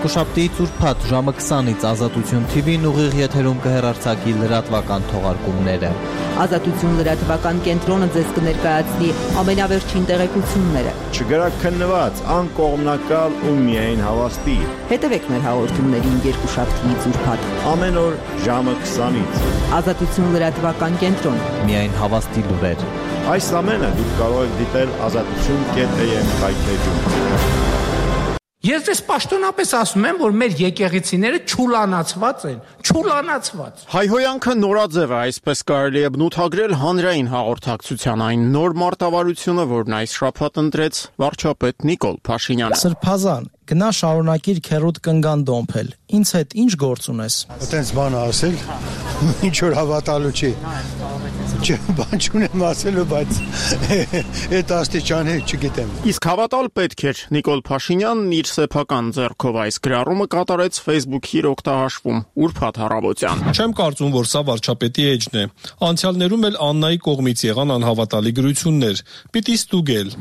Երկուշաբթիից ուրբաթ ժամը 20-ից Ազատություն TV-ն ուղիղ եթերում կհեռարձակի լրատվական թողարկումները։ Ազատություն լրատվական կենտրոնը ձեզ կներկայացնի ամենավերջին տեղեկությունները։ Չգրակ քննված, անկողմնակալ ու միայն հավաստի։ Հետևեք մեր հաղորդումներին երկուշաբթիից ուրբաթ Ամեն օր ժամը 20-ից։ Ազատություն լրատվական կենտրոն։ Միայն հավաստի լուրեր։ Այս ամենը դուք կարող եք դիտել azatutun.am հայթեջում։ Ես դες պաշտոնապես ասում եմ, որ մեր եկեղեցիները չուլանացված են, չուլանացված։ Հայհոյանքը նորաձև է, այսպես կարելի է բնութագրել հանրային հաղորդակցության այն նոր մարտավարությունը, որն այս շաբաթ ընտրեց վարչապետ Նիկոլ Փաշինյանը։ Սրբազան, գնա շարունակիր քերոտ կնգան դոմփել։ Ինձ հետ ինչ գործ ունես։ Այդպես բան ասել, ինչ որ հավատալու չի։ Բան չունեմ ասելու, բայց այդ աստիճանի չգիտեմ։ Իսկ հավատալ պետք էր։ Նիկոլ Փաշինյանն իր սեփական ձեռքով այս գրառումը կատարեց Facebook-ի իր օգտահաշվում ուրբաթ առավոտյան։ Չեմ կարծում, որ սա վարչապետի էջն է։ Անցյալներում էլ Աննայի կողմից եղան անհավատալի գրություններ։ Պիտի ստուգել։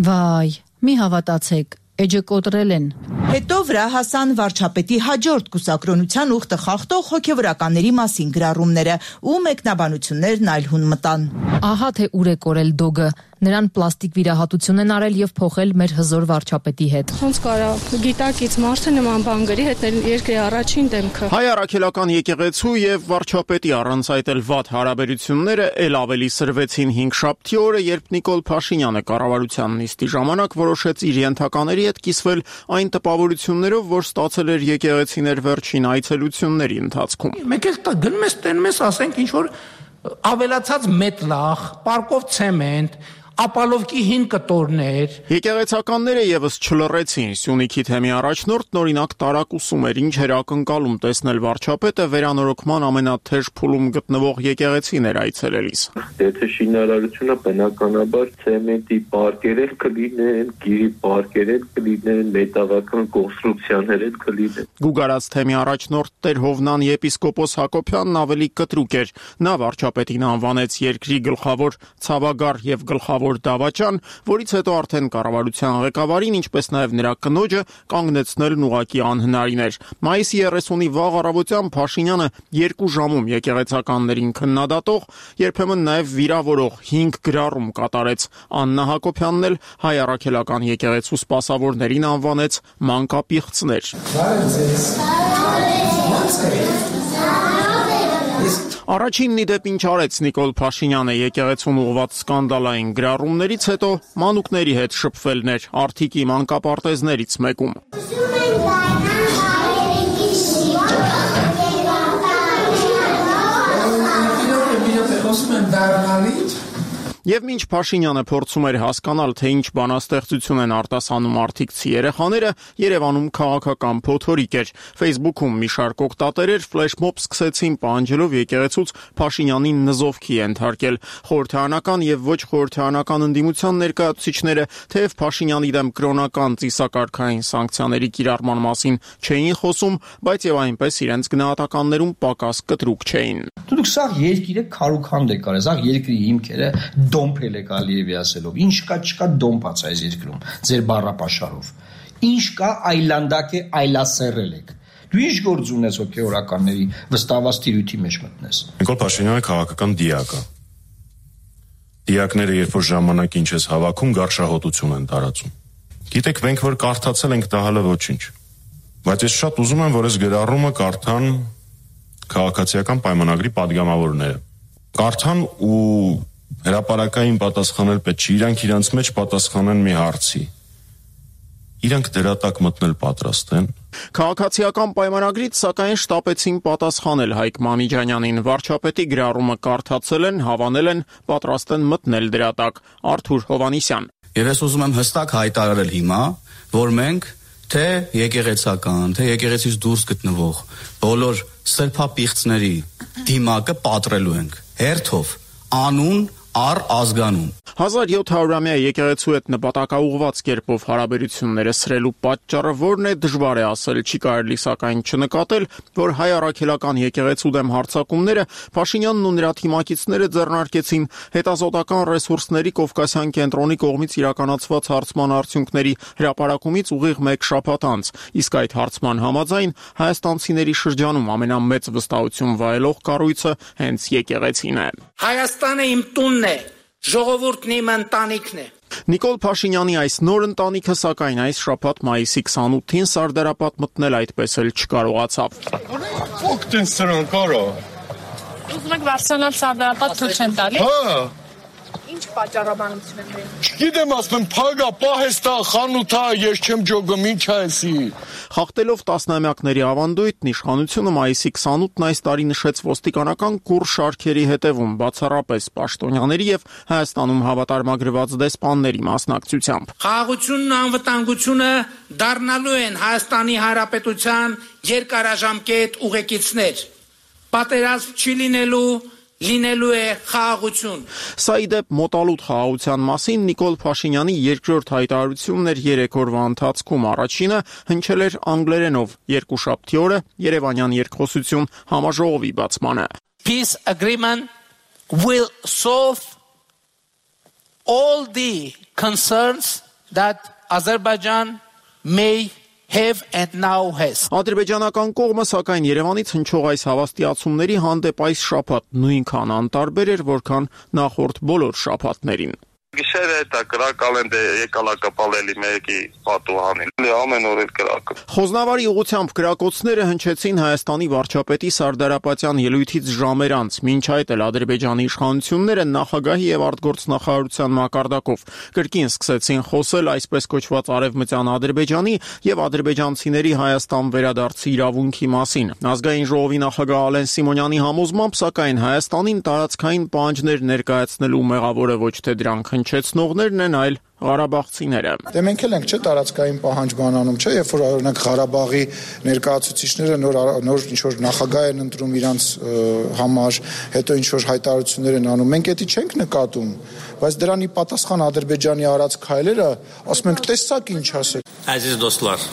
Վայ, մի հավատացեք։ Էջը կոտրել են։ Հետո վրա հասան վարչապետի հաջորդ կուսակրոնության ուխտը խախտող հոգևորականների մասին գրառումները ու մեկնաբանություններն այլ հուն մտան։ Ահա թե ուր է կորել դոգը։ Նրան պլաստիկ վիրահատություն են արել եւ փոխել մեր հզոր վարչապետի հետ։ Ոնց կարա գիտակից մարդը նման բան գրի, հետ երկրի առաջին դեմքը։ Հայ առաքելական եկեղեցու եւ վարչապետի առանց այդ էլ վատ հարաբերությունները ել ավելի սրվեցին 5-շաբթի օրը, երբ Նիկոլ Փաշինյանը կառավարության նիստի ժամանակ որոշեց իր ենթակաների հետ կիսվել այն տպավորություններով, որ ստացել էր եկեղեցիներ վերջին այցելությունների ընթացքում։ Մեկ էլ գնում ես տենում ես, ասենք ինչ որ ավելացած մետլախ, պարկով ցեմենտ, ապալովկի հին կտորներ։ Եկեղեցականները եւս չլռեցին։ Սյունիքի թեմի առաջնորդ նորինակ տարակուսում էր, ինչ էր ակնկալում տեսնել վարչապետը վերանորոգման ամենաթեժ փուլում գտնվող եկեղեցիներ այցելելիս։ Եթե շինարարությունը բնականաբար ցեմենտի պարկեր կլինեն, գիրի պարկեր կլինեն, մետաղական կոնստրուկցիաներ կլինեն։ Գուգարած թեմի առաջնորդ Տեր Հովնան եպիսկոպոս Հակոբյանն ավելի կտրուկ էր։ Նա վարչապետին անվանեց երկրի գլխավոր ցավագար եւ գլխավոր դավաճան, որից հետո արդեն կառավարության ղեկավարին, ինչպես նաև նրա կնոջը կանգնեցնելն ուղղակի անհնարին էր։ Մայիսի 30-ի վաղ առավոտյան Փաշինյանը 2 ժամում եկեղեցականներին քննադատող, երբեմն նաև վիրավորող 5 գրառում կատարեց։ Աննա Հակոբյանն էլ հայ առաքելական եկեղեցու սպասավորներին անվանեց մանկապիղծներ։ Առաջինն ի դեպ ինչ արեց Նիկոլ Փաշինյանը եկեղեցուն ուղղված սկանդալային գրառումներից հետո մանուկների հետ շփվելն էր Արթիկի մանկապարտեզներից մեկում։ Եվ մինչ Փաշինյանը փորձում էր հասկանալ, թե ինչ բանաստեղծություն են արտասանում արտիքցի երեխաները, Երևանում քաղաքական փոթորիկ էր։ Facebook-ում մի շարք օգտատերեր ֆլեշմոբ սկսեցին պահանջելով եկեղեցուց Փաշինյանին նզովքի ենթարկել։ Խորհրդարանական եւ ոչ խորհրդարանական ընդդիմության ներկայացուցիչները թեև Փաշինյանի դեմ կրոնական ծիսակարգային սանկցիաների կիրառման մասին չէին խոսում, բայց եւ այնպես իրենց գնահատականներում պակաս կտրուկ չէին։ Դուք սա երկիրը քարուքանդ եք արել, սա երկրի հիմքերը դոմփել եք Ալիևի ասելով։ Ինչ կա, չկա դոմփած այս երկրում, ձեր բառապաշարով։ Ինչ կա, այլանդակ է, այլասերել եք։ Դու ինչ գործ ունես հոգեորականների վստահված տիրույթի մեջ մտնես։ Նիկոլ Փաշինյանը քաղաքական դիակ է։ Դիակները երբ որ ժամանակին չես հավաքում, գարշահոտություն են տարածում։ Գիտեք, մենք որ կարդացել ենք դա հələ ոչինչ։ Բայց ես շատ ուզում եմ, որ այս գրառումը կարդան քաղաքացիական պայմանագրի падգամավորները։ Կարդան ու հրապարակային պատասխանել պետք չի, իրանք իրանց մեջ պատասխանեն մի հարցի։ Իրանք դրա տակ մտնել պատրաստ են։ Քաղաքացիական պայմանագրից սակայն շտապեցին պատասխանել Հայկ Մանիջանյանին։ Վարչապետի գրառումը կարդացել են, հավանել են, պատրաստ են մտնել դրա տակ։ Արթուր Հովանիսյան։ Եվ ես ուզում եմ հստակ հայտարարել հիմա, որ մենք թե եկեղեցական, թե եկեղեցից դուրս գտնվող բոլոր սրբապիղծների դիմակը պատրելու ենք հերթով, անուն, առ ազգանուն։ 1700-ամյա եկեղեցու հետ նպատակաուղված կերպով հարաբերությունները սրելու պատճառը որն է դժվար է ասել, չի կարելի սակայն չնկատել, որ հայ առաքելական եկեղեցու դեմ հարձակումները Փաշինյանն ու նրա թիմակիցները ձեռնարկեցին հետազոտական ռեսուրսների Կովկասյան կենտրոնի կողմից իրականացված հարցման արդյունքների հրապարակումից ուղիղ 1 շաբաթ անց, իսկ այդ հարցման համաձայն հայաստանցիների շրջանում ամենամեծ վստահություն վայելող կառույցը հենց եկեղեցին է։ Հայաստանը իմ տունն է, ժողովուրդն իմ ընտանիքն է։ Նիկոլ Փաշինյանի այս նոր ընտանիքը սակայն այս շաբաթ մայիսի 28-ին Սարդարապատ մտնել այդպես էլ չկարողացավ։ Ո՞կտեն սրանք արա։ Ուզում եք վարձանալ Սարդարապատ թույլ չեն տալի։ Հա։ Ինչ պատճառաբանություն են դրել։ Չգիտեմ, ասում փագա, պահեստա, խանութա, ես չեմ ջոգում, ինչ է էսի։ Խախտելով տասնամյակների ավանդույթն իշխանությունը մայիսի 28-ն այս տարի նշեց ոստիկանական կուռ շարքերի հետևում, բացառապես պաշտոնյաների եւ Հայաստանում հավատարմագրված դեսպանների մասնակցությամբ։ Խաղաղությունն ու անվտանգությունը դառնալու են Հայաստանի Հանրապետության երկարաժամկետ ուղեկիցներ։ Պատերազմ չի լինելու է խաղաղություն։ Սա ի դեպ մոտալուտ խաղաղության մասին Նիկոլ Փաշինյանի երկրորդ հայտարարությունն էր 3 օրվա ընթացքում։ Առաջինը հնչել էր անգլերենով երկուշաբթի օրը Երևանյան երկխոսություն համաժողովի բացմանը։ Peace agreement will solve all the concerns that Azerbaijan may have and now has. Ադրբեջանական կողմը սակայն Երևանից հնչող այս հավաստիացումների հանդեպ այս շաբաթ նույնքան անտարբեր էր, որքան նախորդ բոլոր շաբաթներին։ Գիշերը դա կրակալ են եկալա կապալելի մեկի պատուհանին։ Ամեն օր էլ կրակը։ Խոզնավարի ուղությամբ կրակոցները հնչեցին Հայաստանի վարչապետի Սարդարապատյան ելույթից ժամեր անց, մինչ այդ էլ Ադրբեջանի իշխանությունները նախագահի եւ արտգործնախարարության մակարդակով կրկին սկսեցին խոսել այսպես կոչված արևմտյան Ադրբեջանի եւ ադրբեջանցիների Հայաստան վերադարձի իրավունքի մասին։ Ազգային ժողովի նախագահ Ալեն Սիմոնյանի համոզմամբ սակայն Հայաստանին տարածքային պահանջներ ներկայացնելու մեղավորը ոչ թե դրանք հնչեցնողներն են, այլ Ղարաբաղցիները։ Դե մենք էլ ենք չէ տարածքային պահանջ բանանում, չէ, երբ որ օրինակ Ղարաբաղի ներկայացուցիչները նոր ինչ որ նախագահ են ընտրում իրանց համար, հետո ինչ որ հայտարարություններ են անում, մենք դա չենք նկատում, բայց դրանի պատասխան Ադրբեջանի արած քայլերը, ասում ենք, տեսակ ինչ ասել։ Aziz dostlar,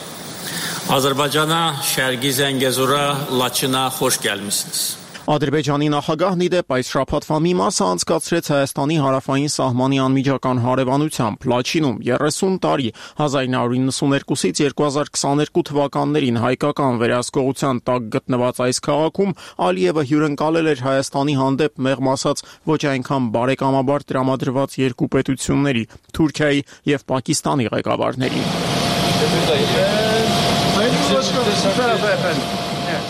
Azərbaycana, Şərqi Zəngəzura, Laçına xoş gəlmisiniz. Ադրբեջանի նախագահն ի դեպ այս շաբաթվա մի մասը անցկացրեց Հայաստանի հարավային սահմանի անմիջական հարևանությամբ Լաչինում 30 տարի 1992-ից 2022 թվականներին հայկական վերահսկողության տակ գտնված այս քաղաքում Ալիևը հյուրընկալել էր Հայաստանի հանդեպ մեղմ ասած ոչ այնքան բարեկամաբար տրամադրված երկու պետությունների Թուրքիայի եւ Պակիստանի ղեկավարներին։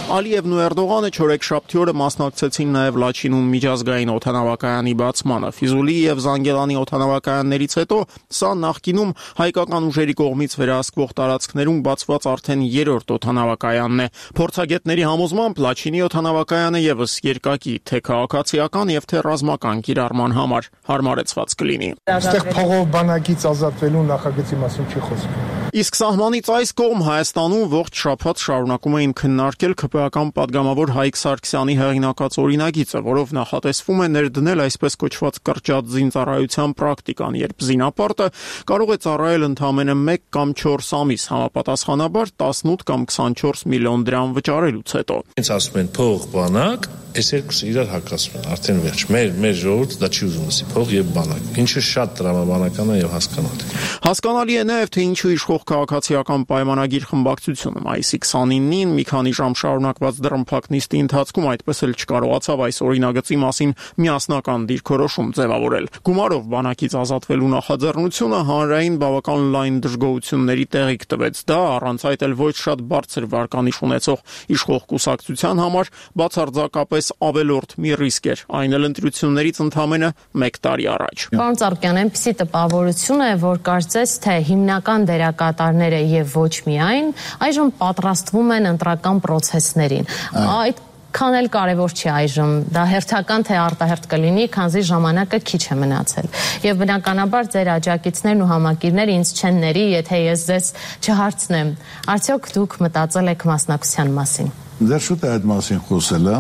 Ալիևն ու Էրդողանը չորեքշաբթի օրը մասնակցեցին նաև Լաչինում միջազգային օդանավակայանի բացմանը։ Ֆիզուլի եւ Զանգելանի օդանավակայաններից հետո սա նախկինում հայկական ուժերի կողմից վերահսկվող տարածքներում բացված արդեն երրորդ օդանավակայանն է։ Փորձագետների համոզմամբ Լաչինի օդանավակայանը եւս երկակի թե քաղաքացիական եւ թե ռազմական կիրառման համար հարմարեցված կլինի։ Այստեղ փողով բանակից ազատվելու նախագծի մասին չի խոսքը։ Իսկ սահմանից այս կողմ Հայաստանում ողջ շաբաթ շարունակում էին քննարկել ԿՊ-ական падգամավոր Հայկ Սարգսյանի հեղինակած օրինագիծը, որով նախատեսվում է ներդնել այսպես կոչված կրճատ զինծառայության պրակտիկան, երբ զինապարտը կարող է ծառայել ընդամենը 1 կամ 4 ամիս, համապատասխանաբար 18 կամ 24 միլիոն դրամ վճարելուց հետո։ Հենց ասում են փող բանակ, այս երկուսը իրար հակասում են, արդեն վերջ։ Մեր ժողովուրդը դա չի ուզում լսի, փող եւ բանակ։ Ինչը շատ տրամաբանական է եւ հասկանալի։ Հասկանալի է նաեւ թե ինչու իշխող քաղաքացիական պայմանագիր խմբակցությունը մայիսի 29-ին մի քանի ժամ շարունակված դռնփակ նիստի ընթացքում այդպես էլ չկարողացավ այս օրինագծի մասին միասնական դիրքորոշում ձևավորել։ Գումարով բանակից ազատվելու նախաձեռնությունը հանրային բավական լայն դժգոհությունների տեղիք տվեց։ Դա առանց այդ էլ ոչ շատ բարձր վարկանիշ ունեցող իշխող կուսակցության համար բացարձակապես ավելորդ մի ռիսկ էր, այն էլ ընտրություններից ընդամենը 1 տարի առաջ։ Պարոն Ծառուկյան, այնպիսի տպավորություն է, որ կարծես թե հիմնական դերակատարները եւ ոչ միայն այժմ պատրաստվում են ընտրական պրոցեսներին։ Այդքան էլ կարևոր չի այժմ, դա հերթական թե արտահերթ կլինի, քանզի ժամանակը քիչ է մնացել։ Եվ բնականաբար ձեր աջակիցներն ու համակիրները ինձ չեն ների, եթե ես ձեզ չհարցնեմ, արդյոք դուք մտածել եք մասնակցության մասին։ Դեռ շուտ է այդ մասին խոսելը,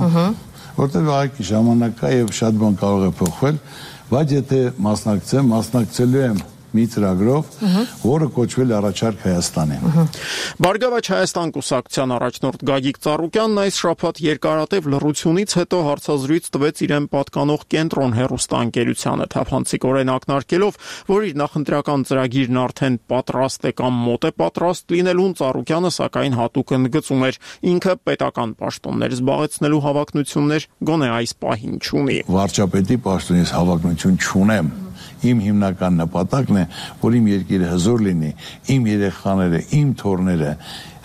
որտեղ այգի ժամանակա եւ շատ բան կարող է փոխվել, բայց եթե մասնակցելու եմ մի ծրագրով, որը կոչվել առաջարկ Հայաստանին։ Բարգավաճ Հայաստան կուսակցության առաջնորդ Գագիկ Ծառուկյանն այս շաբաթ երկարատև լռությունից հետո հարցազրույց տվեց իրեն պատկանող Կենտրոն հեռուստաընկերությանը, թափանցիկորեն ակնարկելով, որ իր նախընտրական ծրագիրն արդեն պատրաստ է կամ մոտ է պատրաստ լինելուն, Ծառուկյանը սակայն հատուկ ընդգծում էր, ինքը պետական պաշտոններ զբաղեցնելու հավակնություններ գոնե այս պահին չունի։ Վարչապետի պաշտոնից հավակնություն չունեմ։ Իմ հիմնական նպատակն է, որ իմ երկիրը հզոր լինի, իմ երեխաները, իմ թոռները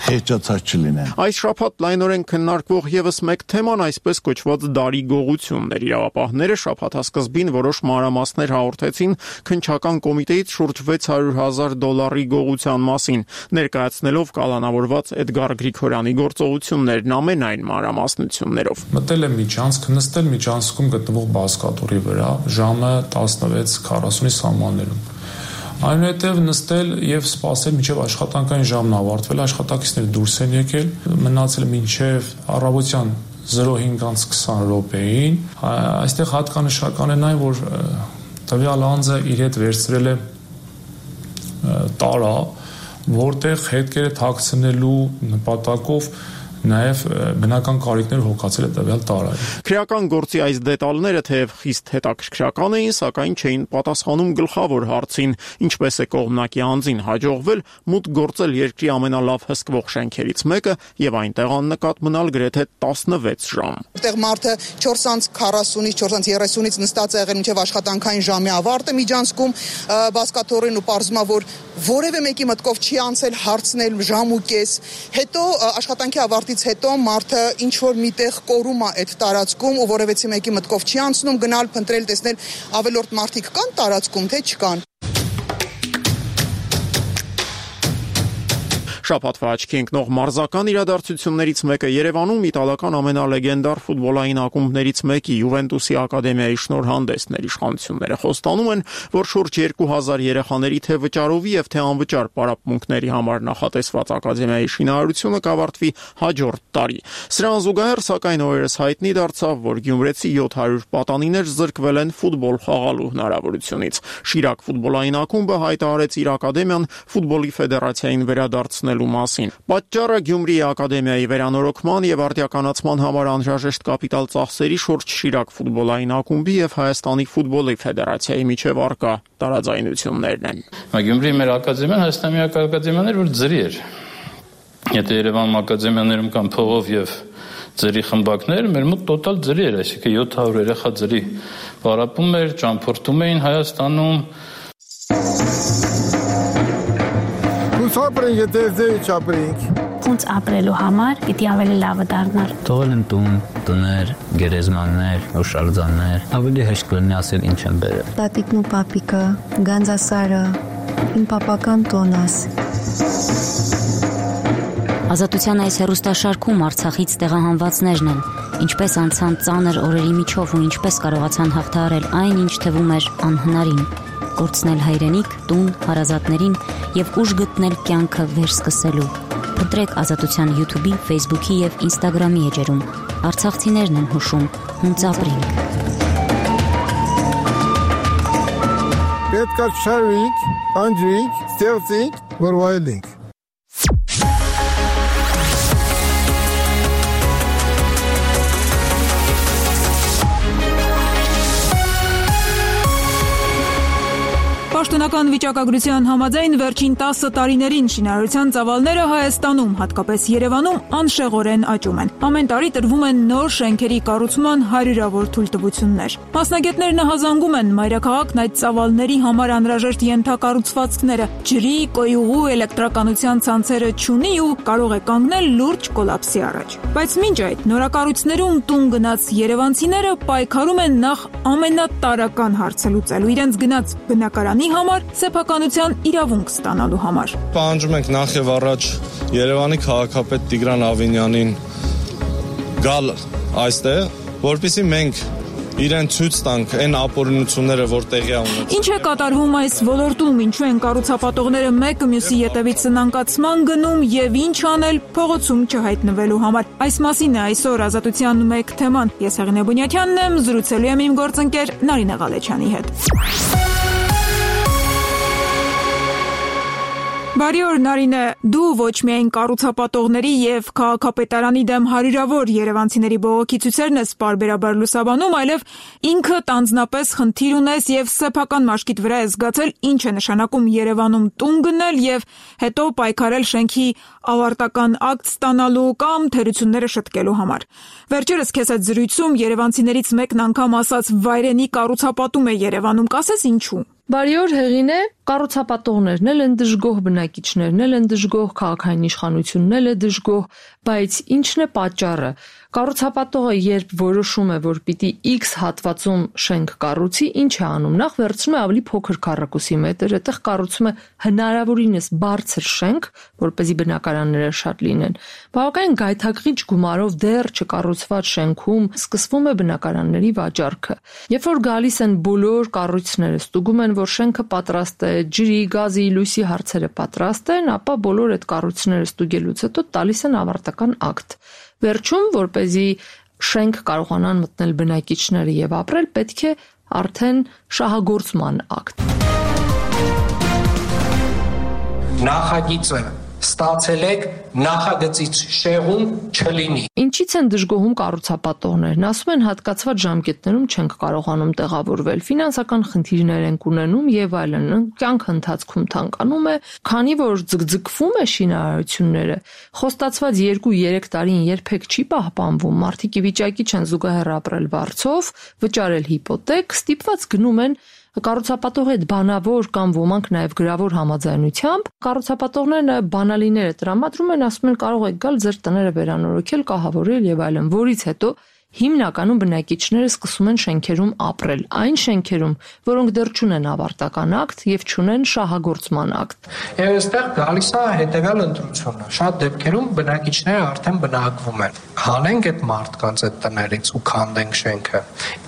խեղճացած չլինեն։ Այս շաբաթ լայնորեն քննարկվող եւս մեկ թեման այսպես կոչված դարի գողություններ։ Իրավապահները շաբաթասկզբին որոշ մանրամասներ հաղորդեցին քննչական կոմիտեից շուրջ $600,000 գողության մասին, ներկայացնելով կալանավորված Էդգար Գրիգորյանի գործողություններն ամենայն մանրամասնություններով։ Մտել է միջանցք, նստել միջանցքում գտնվող բազկաթոռի վրա ժամը 16:40-ի սահմաններում։ Այնուհետև նստել եւ սպասել մինչեւ աշխատանքային ժամն ավարտվել, աշխատակիցները դուրս են եկել, մնացել մինչեւ առավոտյան 05:20 րոպեին։ Այստեղ հատկանշական է այն, որ տվյալ անձը իր հետ վերցրել է տարա, որտեղ հետքերը թաքցնելու նպատակով նաև բնական կարիքներ հոգացել է տվյալ տարայում։ Քրեական գործի այս դետալները թեև խիստ հետաքրքրական էին, սակայն չէին պատասխանում գլխավոր հարցին, ինչպես է կողմնակի անձին հաջողվել մուտք գործել երկրի ամենալավ հսկվող շենքերից մեկը եւ այնտեղ աննկատ մնալ գրեթե 16 ժամ։ Այդտեղ մարդը 4:40-ից 4:30-ից նստած է եղել մինչև աշխատանքային ժամի ավարտը միջանցքում բազկաթոռին ու պարզում է, որ որևէ մեկի մտքով չի անցել հարցնել ժամ ու կես, հետո աշխատանքի ավարտից հետո մարդը ինչ որ միտեղ կորում է այդ տարածքում ու որևէ մեկի մտքով չի անցնում գնալ փնտրել տեսնել ավելորդ մարդիկ կան տարածքում թե չկան։ Շաբաթվա աչքի ընկնող մարզական իրադարձություններից մեկը Երևանում իտալական ամենալեգենդար ֆուտբոլային ակումբներից մեկի Յուվենտուսի ակադեմիայի շնորհանդեսներ իշխանությունները խոստանում են, որ շուրջ 2000 երեխաների թե վճարովի եւ թե անվճար պարապմունքների համար նախատեսված ակադեմիայի շինարարությունը կավարտվի հաջորդ տարի։ Սրան զուգահեռ սակայն օրերս հայտնի դարձավ, որ գյումրեցի 700 պատանիներ զրկվել են ֆուտբոլ խաղալու հնարավորությունից։ Շիրակ ֆուտբոլային ակումբը հայտարարեց իր ակադեմիան ֆուտբոլի ֆեդերացիային վերադարձնել մասին։ Պատճառը Գյումրիի ակադեմիայի վերանորոգման եւ արդիականացման համար անհրաժեշտ կապիտալ ծախսերի շուրջ Շիրակ ֆուտբոլային ակումբի եւ Հայաստանի ֆուտբոլի ֆեդերացիայի միջև առկա տարաձայնություններն են։ Գյումրիի մեր ակադեմիան Հայաստանի ակադեմիան էր, որ ձրի էր։ Եթե Երևանում ակադեմիաներում կան փողով եւ ձրի խմբակներ, մեր մոտ տոտալ ձրի էր, այսինքն 700 երեխա ձրի պարապում էր, ճամփորդում էին Հայաստանում։ Ապրենք, եթե ձեի չապրենք։ Ոնց ապրելու համար պիտի ավելի լավը դառնալ։ Թողել են տուն, տներ, գերեզմաններ, հուշարձաններ, ավելի հեշտ կլինի ասել ինչ են բերել։ Տատիկն ու պապիկը, Գանձասարը, իմ պապական տոնաս։ Ազատության այս հեռուստաշարքում Արցախից տեղահանվածներն են, ինչպես անցան ծանր օրերի միջով ու ինչպես կարողացան հաղթահարել այն, ինչ թվում էր անհնարին։ Կորցնել հայրենիք, տուն, հարազատներին եւ ուժ գտնել կյանքը վերսկսելու։ Փնտրեք Ազատության YouTube-ի, Facebook-ի եւ Instagram-ի էջերում։ Արցախցիներն են հուշում, հունց ապրենք։ Պետք է շարվենք, անջրենք, ստեղծենք, որ վայելենք։ Պաշտոնական վիճակագրության համաձայն վերջին 10 տարիներին շինարարության ծավալները Հայաստանում, հատկապես Երևանում, անշեղորեն աճում են։ Ամեն տարի տրվում են նոր շենքերի կառուցման հարյուրավոր թույլտվություններ։ Մասնագետներն ահազանգում են մայրաքաղաքն այդ ծավալների համար անհրաժեշտ ենթակառուցվածքները ջրի, կոյուղու, էլեկտրականության ցանցերը չունի ու կարող է կանգնել լուրջ կոլապսի առաջ։ Բայց մինչ այդ նորակառույցներում տուն գնաց երևանցիները պայքարում են նախ ամենատարրական հարցը լուծելու իրենց գնաց բնակարանի համար սեփականության իրավունք ստանալու համար։ Պահանջում ենք նախ եւ առաջ Երևանի քաղաքապետ Տիգրան Ավինյանին գալ այստեղ, որպեսզի մենք իրեն ցույց տանք այն ապօրինությունները, որ տեղի ունեցել։ Ինչ է կատարվում այս ոլորտում, ինչու են կառուցապատողները մեկը մյուսի ետևից սնանկացման գնում եւ ինչ անել փողոցում չհայտնվելու համար։ Այս մասին է այսօր Ազատության մեկ թեման։ Ես Հեղինե Բունյաթյանն եմ, զրուցելու եմ իմ գործընկեր Նարինե Ղալեչյանի հետ։ Բարի օր Նարինե, դու ոչ միայն կառուցապատողների եւ քաղաքապետարանի դեմ հարյուրավոր երևանցիների բողոքի ցույցերն ես պարբերաբար լուսաբանում, այլև ինքդ անձնապես խնդիր ունես եւ սեփական մաշկիդ վրա ես զգացել ինչ է նշանակում Երևանում տուն գնել եւ հետո պայքարել շենքի ավարտական ակտ ստանալու կամ թերությունները շտկելու համար։ Վերջերս քեզ այդ զրույցում երևանցիներից մեկն անգամ ասաց վայրենի կառուցապատում է Երևանում, կասես ինչու։ Բարի օր Հեղինե, կառուցապատողներն էլ են դժգոհ, բնակիչներն էլ են դժգոհ, քաղաքային իշխանությունն էլ է դժգոհ, բայց ինչն է պատճառը։ Կառուցապատողը երբ որոշում է, որ պիտի X հատվածում շենք կառուցի, ինչ է անում։ Նախ վերցնում է ավելի փոքր քառակուսի մետր, այդտեղ կառուցում է հնարավորինս բարձր շենք, որպեսզի բնակարանները շատ լինեն։ Բավականին գայթակղիչ գումարով դեռ չկառուցված շենքում սկսվում է բնակարանների վաճառքը։ Երբ որ գալիս են բոլոր կառույցները, ստուգում են, որ շենքը պատրաստ է, ջրի, գազի, լույսի հարցերը պատրաստ են, ապա բոլոր այդ կառույցները ստուգելուց հետո տալիս են ավարտական ակտ։ Վերջում, որպեսզի շենք կարողանան մտնել բնակիչները եւ ապրել, պետք է արդեն շահագործման ակտ։ Նախագիծը ստացել եք, նախագծից շեղում չլինի։ Ինչից են դժգոհում կառուցապատողներն, ասում են հատկացված ժամկետներում չենք կարողանում տեղավորվել, ֆինանսական խնդիրներ են ունենում եւ այլն, կյանքը ընթացքում թանկանում է, քանի որ ձգձգվում է շինարարությունները, խոստացված 2-3 տարին երբեք չի պահպանվում, մարդիկ ի վիճակի չեն զուգահեռ ապրել վարձով, վճարել հիպոթեք, ստիպված գնում են կառուցապատողի հետ բանավոր կամ ոմանք նաև գրավոր համաձայնությամբ կառուցապատողները բանալիները տրամադրում են, ասում են կարող եք գալ ձեր տները վերանորոգել, կահավորել եւ այլն, որից հետո հիմնականում բնակիչները սկսում են շենքերում ապրել, այն շենքերում, որոնք դեռ չունեն ավարտական ակտ եւ չունեն շահագործման ակտ։ Եվ այստեղ գալիս է հետեւյալ ընտրությունը։ Շատ դեպքերում բնակիչները արդեն բնակվում են։ Հանենք այդ մարդկանց այդ տներից ու քանդենք շենքը։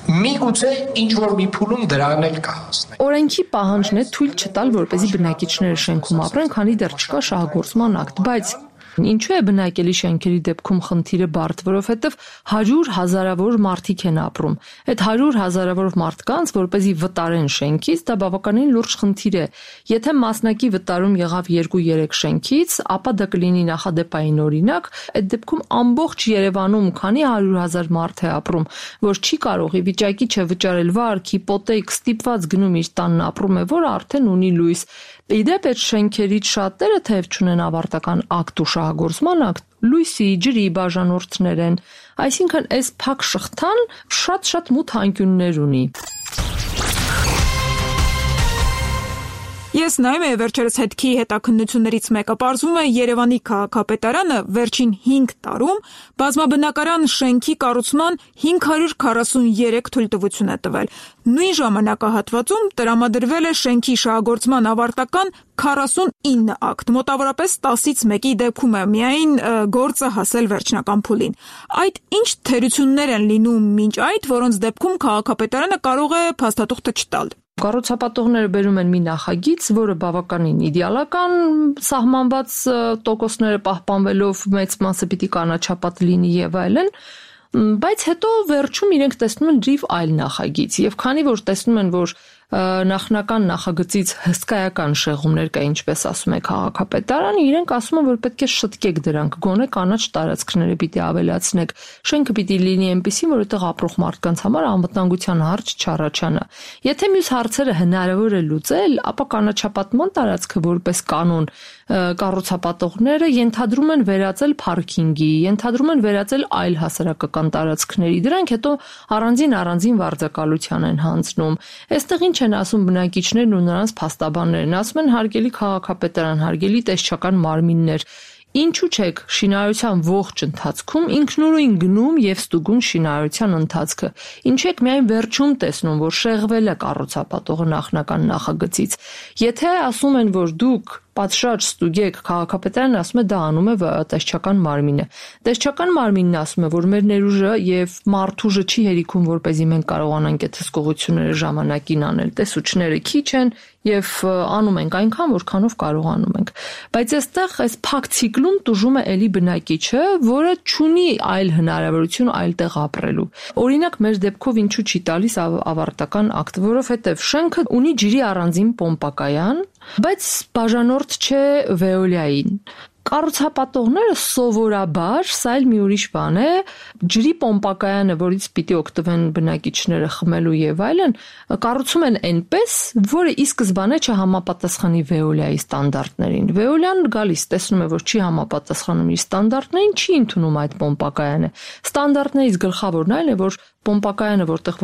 Միգուցե ինչ որ մի փուլում դրան էլ կհասնենք։ Օրենքի պահանջն է թույլ չտալ, որպեսզի բնակիչները շենքում ապրեն, քանի դեռ չկա շահագործման ակտ, բայց ինչու է բնակելի շենքերի դեպքում խնդիրը բարդ, որովհետև 100 հազարավոր մարդիկ են ապրում։ Այդ 100 հազարավոր մարդկանց, որպեսզի վտարեն շենքից, դա բավականին լուրջ խնդիր է։ Եթե մասնակի վտարում եղավ 2-3 շենքից, ապա դա կլինի նախադեպային օրինակ, այդ դեպքում ամբողջ Երևանում քանի 100,000 մարդ է ապրում, որ չի կարող ի վիճակի չէ վճարել վարկ, հիպոթեք, ստիպված գնում իր տանն ապրում է, որը արդեն ունի լույս։ Իդեպ այդ շենքերից շատերը թեև չունեն ավարտական ակտ ու շահագործման ակտ, լույսի, ջրի բաժանորդներ են, այսինքն այս փակ շղթան շատ մութ անկյուններ ունի։ Ես նայում եմ վերջերս հետքի հետաքննություններից մեկը, պարզվում է Երևանի քաղաքապետարանը վերջին 5 տարում բազմաբնակարան շենքի կառուցման 543 թույլտվություն է տվել։ Նույն ժամանակահատվածում տրամադրվել է շենքի շահագործման ավարտական 49 ակտ, մոտավորապես 10-ից 1-ի դեպքում է միայն գործը հասել վերջնական փուլին։ Այդ ինչ թերություններ են լինում մինչ այդ, որոնց դեպքում քաղաքապետարանը կարող է փաստաթուղթը չտալ։ Կառուցապատողները բերում են մի նախագիծ, որը բավականին իդեալական սահմանված տոկոսները պահպանվելով մեծ մասը պիտի կանաչապատ լինի եւ այլն, բայց հետո վերջում իրենք տեսնում են լրիվ այլ նախագիծ եւ քանի որ տեսնում են, որ նախնական նախագծից հսկայական շեղումներ կա, ինչպես ասում է քաղաքապետարանը, իրենք ասում են, որ պետք է շտկեք դրանք, գոնե կանաչ տարածքները պիտի ավելացնեք, շենքը պիտի լինի այնպեսին, որ այդտեղ ապրող մարդկանց համար անվտանգության հարց չառաջանա։ Եթե մյուս հարցերը հնարավոր է լուծել, ապա կանաչապատման տարածքը որպես կանոն կառուցապատողները ենթադրում են վերածել փարքինգի, ենթադրում են վերածել այլ հասարակական տարածքների, դրանք հետո առանձին վարձակալության են հանձնում։ Այստեղ ինչ են ասում բնակիչներն ու նրանց փաստաբաններն, ասում են հարգելի քաղաքապետարան, հարգելի տեսչական մարմիններ, ինչու՞ չեք շինարարության ողջ ընթացքում ինքնուրույն գնում եւ ստուգում շինարարության ընթացքը։ Ինչու եք միայն վերջում տեսնում, որ շեղվել է կառուցապատողը նախնական նախագծից։ Եթե ասում են, որ դուք պատշաճ ստուգեք, քաղաքապետարանը ասում է դա անում է տեսչական մարմինը։ Տեսչական մարմինն ասում է, որ մեր ներուժը եւ մարդուժը չի հերիքում, որպեսզի մենք կարողանանք այդ հսկողությունները ժամանակին անել։ Տեսուչները քիչ են եւ անում ենք այնքան, որքանով կարողանում ենք։ Բայց այստեղ այս փակ ցիկլում տուժում է էլի բնակիչը, որը չունի այլ հնարավորություն այլտեղ ապրելու։ Օրինակ մեր դեպքով ինչու չի տալիս ավարտական ակտ, որովհետեւ շենքը ունի ջրի առանձին պոմպակայան, բայց բաժանորդ չէ Veolia-ին։ Կառուցապատողները սովորաբար, սա էլ մի ուրիշ բան է, ջրի պոմպակայանը, որից պիտի օգտվեն բնակիչները խմելու եւ այլն, կառուցում են այնպես, որը ի սկզբանե չհամապատասխանի Veolia-ի ստանդարտներին։ Veolia-ն գալիս, տեսնում է, որ չի համապատասխանում իր ստանդարտներին, չի ընդունում այդ պոմպակայանը։ Ստանդարտներից գլխավորն այն է, որ պոմպակայանը որտեղ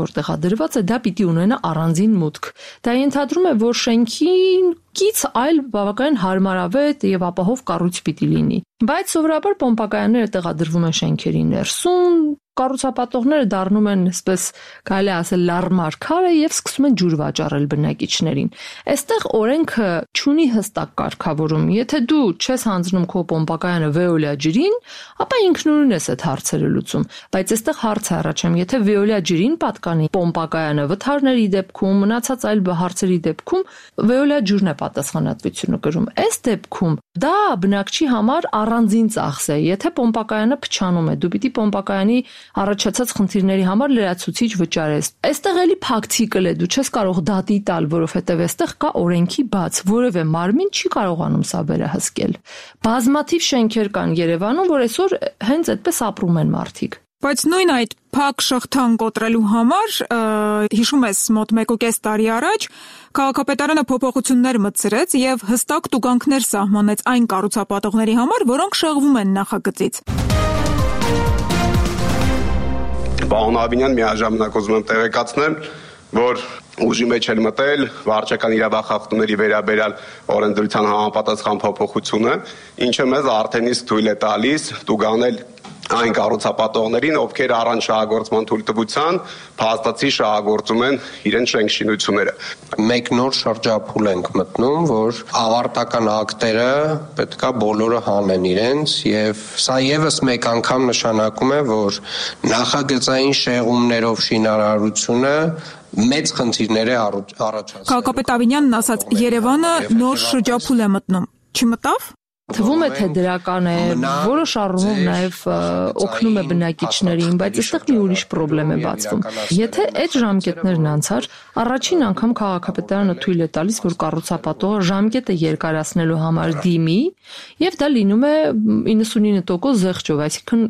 դրված է, դա պիտի ունենա առանձին մուտք։ Դա ենթադրում է, որ շենքին կից այլ բավականին հարմարավետ եւ ապահով կառույց պիտի լինի։ Բայց սովորաբար պոմպակայանները տեղադրվում են շենքերի ներսում, կառուցապատողները դառնում են, այսպես կարելի ասել, լարմար քարը եւ սկսում են ջուր վաճառել բնակիչներին։ Այստեղ օրենքը չունի հստակ կարգավորում։ Եթե դու չես հանձնում քո պոմպակայանը Veolia ջրին, ապա ինքնուրույն ես այդ հարցերը լուծում։ Բայց այստեղ հարց է առաջանում, եթե Veolia ջրին պատկանի պոմպակայանը վթարների դեպքում, մնացած այլ հարցերի դեպքում Veolia ջուրն է պատասխանատվությունը կրում։ Այս դեպքում դա բնակչի համար առանձին ծախս է։ Եթե պոմպակայանը փչանում է, դու պիտի պոմպակայանի առաջացած խնդիրների համար լրացուցիչ վճարես։ Այստեղ էլի փակ ցիկլ է, դու չես կարող դատի տալ, որովհետև այստեղ կա օրենքի բաց, որևէ մարմին չի կարողանում սա վերահսկել։ Բազմաթիվ շենքեր կան Երևանում, որ այսօր հենց այդպես ապրում են մարդիկ։ Բայց նույն այդ փակ շղթան կոտրելու համար, հիշում ես, մոտ 1.5 տարի առաջ քաղաքապետարանը փոփոխություններ մտցրեց եւ հստակ տուգանքներ սահմանեց այն կառուցապատողների համար, որոնք շեղվում են նախագծից։ Պարոն Աբինյան, միաժամանակ ուզում եմ տեղեկացնել, որ ուժի մեջ էլ մտել վարչական իրավախախտումների վերաբերյալ օրենսդրության համապատասխան փոփոխությունը, ինչը մեզ արդեն իսկ թույլ է տալիս տուգանել այն կառուցապատողներին, ովքեր առանց շահագործման թույլտվության փաստացի շահագործում են իրենց շենքշինությունները։ Մեկ նոր շրջափուլ ենք մտնում, որ ավարտական ակտերը պետքա բոլորը հանեն իրենց, եւ սա եւս մեկ անգամ նշանակում է, որ նախագծային շեղումներով շինարարությունը մեծ խնդիրներ է առաջացնում։ Քաղաքապետ Ավինյանն ասաց, Երևանը նոր շրջափուլ է մտնում։ Չմտավ։ Թվում է, թե դրական է, որոշ առումով նաև օգնում է բնակիչներին, բայց այստեղ մի ուրիշ խնդրեմ է բացվում։ Եթե այդ ժամկետներն անցար, առաջին անգամ քաղաքապետարանը թույլ է տալիս, որ կառուցապատողը ժամկետը երկարացնելու համար դիմի, եւ դա լինում է 99% զեղչով, այսինքն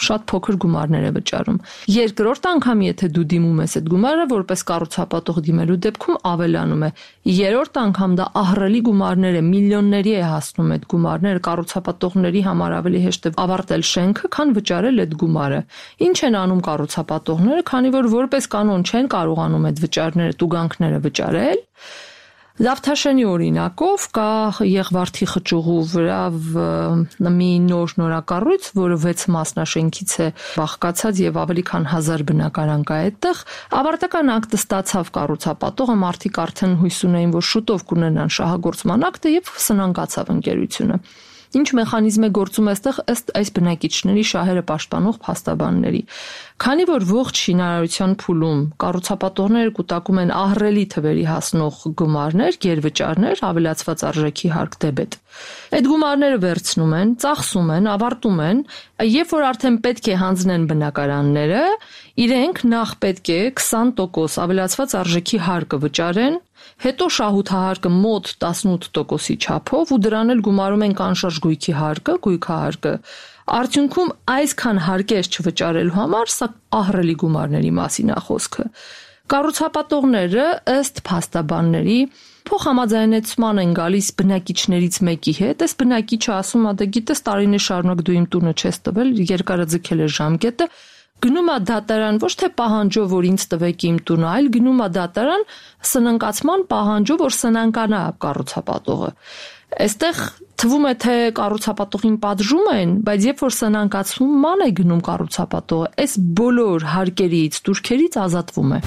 շատ փոքր գումարներ է վճարում։ Երկրորդ անգամ, եթե դու դիմում ես այդ գումարը, որպես կառուցապատող դիմելու դեպքում ավելանում է։ Երրորդ անգամ դա ահռելի գումարներ է, միլիոնների է հասնում այդ գումարները, կառուցապատողների համար ավելի հեշտ է ավարտել շենքը, քան վճարել այդ գումարը։ Ինչ են անում կառուցապատողները, քանի որ որպես կանոն չեն կարողանում այդ վճարները, տուգանքները վճարել։ Զավթաշենի օրինակով կա Եղվարդի խճուղու վրա մի նորակառույց, որը 6 մասնաշենքից է բաղկացած եւ ավելի քան 1000 բնակարան կա այդտեղ։ Ավարտական ակտը ստացավ կառուցապատողը, մարդիկ արդեն հույս ունեին, որ շուտով կունենան շահագործման ակտը եւ սնանկացավ ընկերությունը։ Ինչ մեխանիզմ է գործում այստեղ ըստ այս բնակիչների շահերը պաշտպանող փաստաբանների։ Քանի որ ողջ շինարարության փուլում կառուցապատողները կուտակում են ահռելի թվերի հասնող գումարներ, գերվճարներ, ավելացված արժեքի հարկ դեբետ։ Այդ գումարները վերցնում են, ծախսում են, ավարտում են, երբ որ արդեն պետք է հանձնեն բնակարանները, իրենք նախ պետք է 20% ավելացված արժեքի հարկը վճարեն, հետո շահութահարկը մոտ 18%-ի չափով ու դրան էլ գումարում են կանշարժ գույքի հարկը, գույքահարկը։ Արդյունքում այսքան հարկեր չվճարելու համար սա ահռելի գումարների մասին է խոսքը։ Կառուցապատողները ըստ փաստաբանների փոխհամաձայնեցման են գալիս բնակիչներից մեկի հետ, այս բնակիչը ասում է, դե գիտես տարիներ շարունակ դու իմ տունը չես տվել, երկարը ձգել է ժամկետը, գնում է դատարան ոչ թե պահանջով, որ ինձ տվեք իմ տունը, այլ գնում է դատարան սնանկացման պահանջով, որ սնանկանա կառուցապատողը։ Այստեղ թվում է, թե կառուցապատողին պատժում են, բայց երբ որ սնանկացման է գնում կառուցապատողը, այս բոլոր հարկերից, տուրքերից ազատվում է։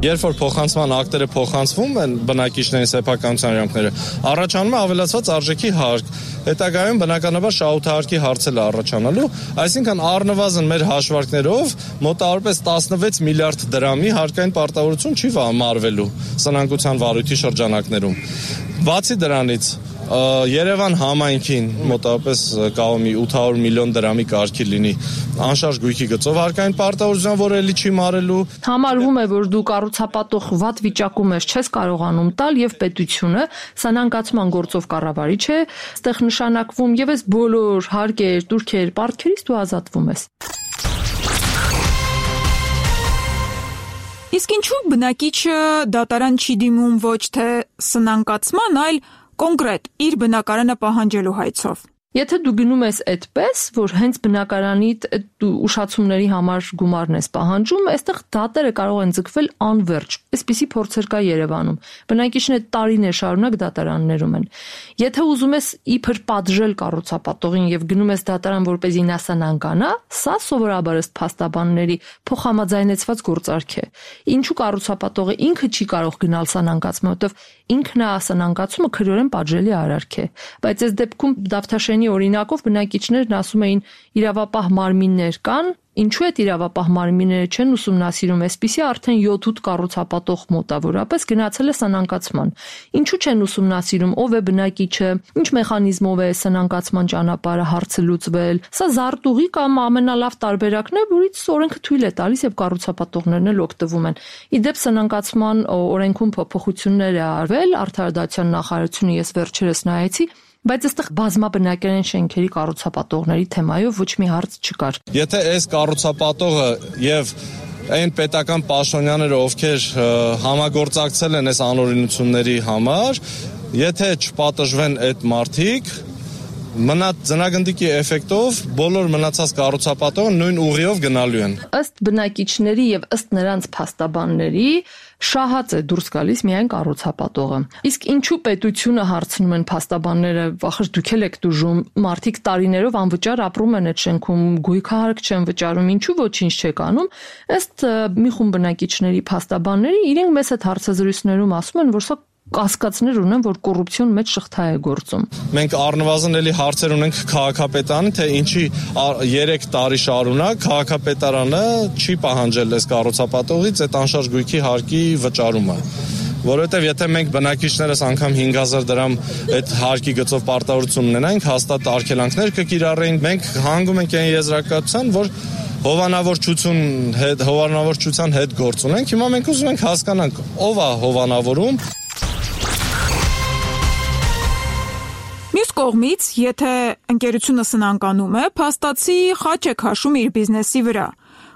Երբ որ փոխանցման ակտերը փոխանցվում են բնակիչների սեփականության իրավունքները, առաջանում է ավելացված արժեքի հարկ։ Հետագայում բնականաբար շահութահարկի հարցեր առաջանալու, այսինքն առնվազն մեր հաշվարկներով մոտավորապես 16 միլիարդ դրամի հարկային պարտավորություն չի մարվելու սնանկության վարույթի շրջանակներում։ Բացի դրանից Երևան համայնքին մոտավորապես կարող մի 800 միլիոն դրամի կարգի լինի անշարժ գույքի գծով հարկային պարտավորություն, որը էլի չի մարելու։ Համարվում է, որ դու կառուցապատող վատ վիճակում ես, չես կարողանում տալ եւ պետությունը սանանկացման գործով կառավարիչ է, այստեղ նշանակվում եւ այս բոլոր հարկեր, տուրքեր, պարտքերից դու ազատվում ես։ Իսկ ինչու բնակիչը դատարան չի դիմում ոչ թե սնանկացման, այլ կոնկրետ իր բնակարանը պահանջելու հայցով։ Եթե դու գնում ես այդպես, որ հենց բնակարանիդ ուշացումների համար գումարն ես պահանջում, այստեղ դատերը կարող են ձգվել անվերջ։ Այսպիսի փորձեր կա Երևանում։ Բնակիչները տարիներ շարունակ դատարաններում են։ Եթե ուզում ես իբր պատժել կառուցապատողին եւ գնում ես դատարան, որպեսզի նա սնանկանա, սա սովորաբար ըստ փաստաբանների փոխհամաձայնեցված գործարք է։ Ինչու կառուցապատողը ինքը չի կարող գնալ սնանկացման, որովհետեւ ինքն է սնանկացումը քրեորեն պատժելի արարք է։ Բայց այս դեպքում Դավթաշենի օրինակով բնակիչներն ասում էին իրավապահ մարմիններ կան, ինչու այդ իրավապահ մարմինները չեն ուսումնասիրում, այսպիսի արդեն 7-8 կառուցապատող մոտավորապես գնացել է սնանկացման։ Ինչու չեն ուսումնասիրում, ով է բնակիչը, ինչ մեխանիզմով է սնանկացման ճանապարհը հարցը լուծվել։ Սա զարտուղի կամ ամենալավ տարբերակն է, որից օրենքը թույլ է տալիս եւ կառուցապատողներն էլ օգտվում են։ Իդեպ սնանկացման օրենքում փոփոխություններ է արվել, Արդարադատության նախարարությունը ես վերջերս նայեցի, բայց այստեղ բազմաբնակարան շենքերի կառուցապատողների թեմայով ոչ մի հարց չկար։ Եթե այս կառուցապատողը եւ այն պետական պաշտոնյաները, ովքեր համագործակցել են այս անօրինությունների համար, եթե չպատժվեն այդ մարդիկ, ձնագնդիկի էֆեկտով բոլոր մնացած կառուցապատողը նույն ուղիով գնալու են։ Ըստ բնակիչների եւ ըստ նրանց փաստաբանների շահած է դուրս գալիս միայն կառուցապատողը։ Իսկ ինչու պետությունը հարցնում են փաստաբանները, վախր դուք եք դժում, մարդիկ տարիներով անվճար ապրում են այդ շենքում, գույքահարկ չեն վճարում, ինչու ոչինչ չեք անում։ Ըստ մի խումբ բնակիչների փաստաբանների իրենք մեծ այդ հարցազրույցներում ասում են, որ սա կասկածներ ունեն, որ կոռուպցիոն մեջ շղթա է գործում։ Մենք առնվազն էլի հարցեր ունենք քաղաքապետարանի, թե ինչի 3 տարի շարունակ քաղաքապետարանը չի պահանջել այս կառուցապատողից այդ անշարժ գույքի հարկի վճարումը։ Որովհետև եթե մենք բնակիչներս անգամ 5000 դրամ այդ հարկի գծով պարտավորություն ունենանք, հաստատ արգելանքներ կկիրառեին։ Մենք հանգում ենք այն եզրակացության, որ հովանավորչության հետ գործ ունենք։ Հիմա մենք ուզում ենք հասկանանք, ով է հովանավորում։ Մյուս կողմից, եթե ընկերությունը սնանկանում է, փաստացի խաչ է քաշում իր բիզնեսի վրա։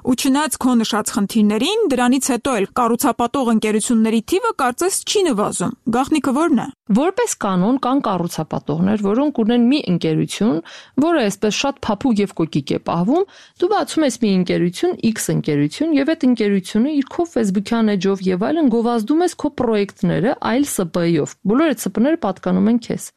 Ու չնայած քո նշած խնդիրներին, դրանից հետո էլ կառուցապատող ընկերությունների թիվը կարծես չի նվազում։ Գաղտնիքը ո՞րն է։ Որպես կանոն կան կառուցապատողներ, որոնք ունեն մի ընկերություն, որը այսպես շատ փափուկ եւ կոկիկ է պահվում, դու բացում ես մի ընկերություն, X ընկերություն, եւ այդ ընկերությունը իր քո Facebook-յան էջով եւ այլն գովազդում ես քո պրոյեկտները այլ ՍՊ-ով։ Բոլոր այդ ՍՊ-ները պատկանում են քեզ։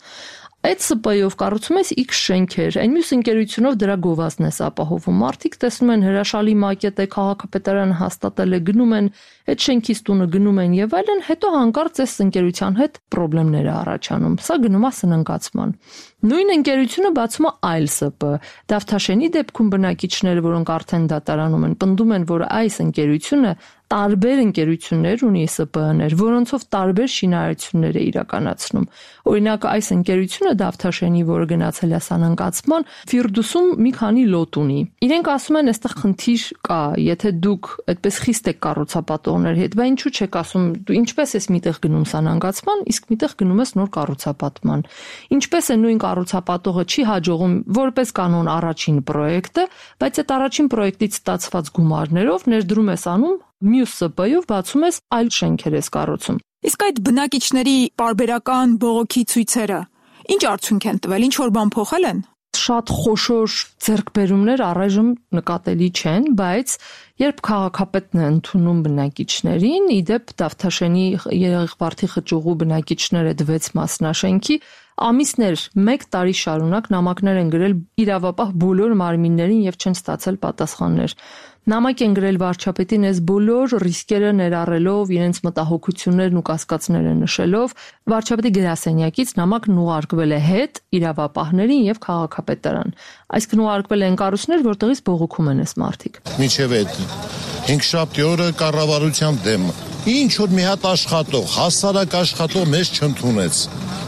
Այդ ՍՊ-ով կառուցում ես X շենքեր, այն մյուս ընկերությունով դրա գովազդն ես ապահովում։ Մարդիկ տեսնում են հրաշալի մակետ է, քաղաքապետարանը հաստատել է, գնում են այդ շենքից տունը գնում են եւ այլն, հետո հանկարծ այս ընկերության հետ խնդիրներ է առաջանում։ Սա գնում է սնանկացման։ Նույն ընկերությունը բացում է այլ ՍՊ։ Դավթաշենի դեպքում բնակիչները, որոնք արդեն դատարանում են, պնդում են, որ այս ընկերությունը տարբեր ընկերություններ ունի ՍՊ-ներ, որոնցով տարբեր շինարարություններ է իրականացնում։ Օրինակ, այս ընկերությունը Դավթաշենի, որը գնացել է սանանկացման, Ֆիրդուսում մի քանի լոտ ունի։ Իրենք ասում են, այստեղ խնդիր կա, եթե դուք այդպես խիստ եք կառուցապատողներ հետ, բա ինչու չեք ասում, դու ինչպես ես միտեղ գնում սանանկացման, իսկ միտեղ գնում ես նոր կառուցապատման։ Ինչպես է նույն կառուցապատողը չի հաջողում որպես կանոն առաջին պրոյեկտը, բայց այդ առաջին պրոյեկտից ստացված գումարներով ներդրում ես անում մյուս ՍՊ-ով բացում ես այլ շենքեր ես կառուցում։ Իսկ այդ բնակիչների պարբերական բողոքի ցույցերը ինչ արդյունք են տվել, ինչ որ բան փոխել են։ Շատ խոշոր ձեռքբերումներ առայժմ նկատելի չեն, բայց երբ քաղաքապետն է ընդունում բնակիչներին, իդեպ Դավթաշենի Եղեղվարդի խճուղու բնակիչները դվեց մասնաշենքի, ամիսներ, 1 տարի շարունակ նամակներ են գրել իրավապահ բոլոր մարմիններին եւ չեն ստացել պատասխաններ։ Նամակ են գրել վարչապետին այս բոլոր ռիսկերը ներառելով, իրենց մտահոգություններն ու կասկածները նշելով, վարչապետի գրասենյակից նամակն ուղարկվել է հետ իրավապահներին եւ քաղաքապետարան։ Այսինքն ուղարկվել են կառույցներ, որտեղից բողոքում են այս մարդիկ։ Մինչև այդ 5 օրը կառավարության դեմ ինչ որ մի հատ աշխատող, հասարակ աշխատող մեզ չընդունեց։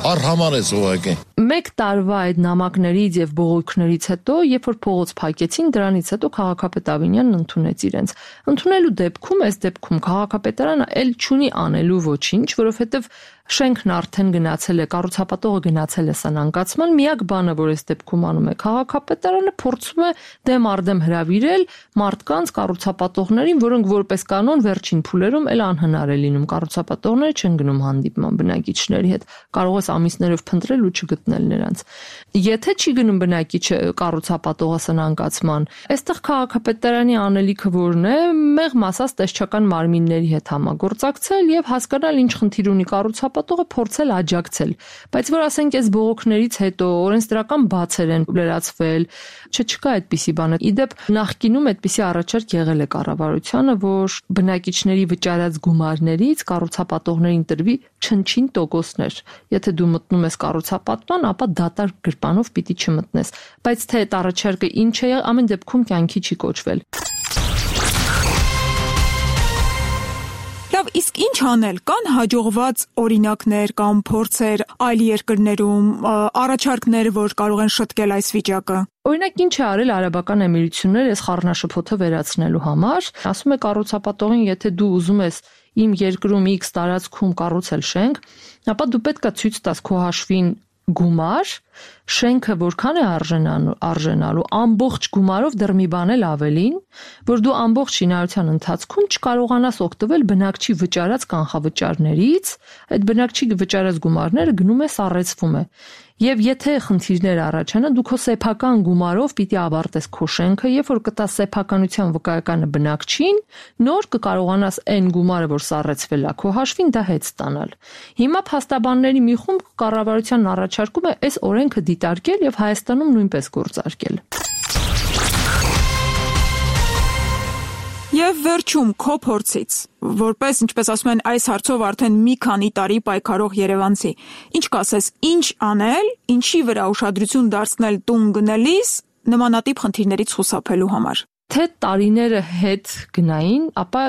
Արհամարեց ուղղակի։ 1 տարվա այդ նամակներից եւ բողոքներից հետո, երբ որ փողոց փակեցին, դրանից հետո քաղաքապետ Ավինյանն ընդունեց իրենց։ Ընդունելու դեպքում, այս դեպքում քաղաքապետարանը ել չունի անելու ոչինչ, որովհետեւ շենքն արդեն գնացել է, կառուցապատողը գնացել է սանանկացման, միակ բանը, որ այս դեպքում անում է քաղաքապետարանը, փորձում է դեմ արդեմ հրավիրել մարդկանց կառուցապատողներին, որոնք որպես կանոն վերջին փուլերում էլ անհնար է լինում, կառուցապատողները չեն գնում հանդիպման բնակիչների հետ, կարող ես ամիսներով փնտրել ու չգտնել նրանց։ Եթե չի գնում բնակիչը կառուցապատողը սնանկացման, այստեղ քաղաքապետարանի անելիքը որն է, մեղմ ասած տեսչական մարմինների հետ համագործակցել եւ հասկանալ ինչ խնդիր ունի կառուցապատողը, փորձել աջակցել, բայց որ ասենք այս բողոքներից հետո օրենսդրական բացեր են լրացվել, չկա այդպիսի բան։ Իդեպ նախկինում այդպիսի առաջարկ եղել է կառավարությանը, որ բնակիչների վճարած գումարներից կառուցապատողներին տրվի չնչին տոկոսներ։ Եթե դու մտնում ես կառուցապատման, ապա դատարկ գրպանով պիտի չմտնես, բայց թե այդ առաջարկը ինչ է, ամեն դեպքում կյանքի չի կոչվել։ Լավ, իսկ ինչ անել, կան հաջողված օրինակներ կամ փորձեր այլ երկրներում, առաջարկներ, որ կարող են շտկել այս վիճակը։ Օրինակ ինչ է արել Արաբական Էմիրությունները այս խառնաշփոթը վերացնելու համար, ասում է կառուցապատողին, եթե դու ուզում ես իմ երկրում X տարածքում կառուցել շենք, ապա դու պետք է ցույց տաս քո հաշվին գումար, շենքը որքան է արժենալու, ամբողջ գումարով դեռ մի բան էլ ավելին, որ դու ամբողջ շինարարության ընթացքում չկարողանաս օգտվել բնակչի վճարած կանխավճարներից, այդ բնակչի վճարած գումարները գնում է սառեցվում է։ Եվ եթե խնդիրներ առաջանա, դու քո սեփական գումարով պիտի ավարտես քո շենքը, երբ որ կտաս սեփականության վկայականը բնակչին, նոր կկարողանաս այն գումարը, որ սառեցվել է քո հաշվին, դա հետ ստանալ։ Հիմա փաստաբանների մի խումբ կառավարությանն առաջարկում է այս օրենքը դիտարկել եւ Հայաստանում նույնպես գործարկել։ Եվ վերջում քո փորձից, որպես ինչպես ասում են այս հարցով արդեն մի քանի տարի պայքարող երևանցի, ինչ կասես, ինչ անել, ինչի վրա ուշադրություն դարձնել տուն գնելիս նմանատիպ խնդիրներից խուսափելու համար։ Թե տարիները հետ գնային, ապա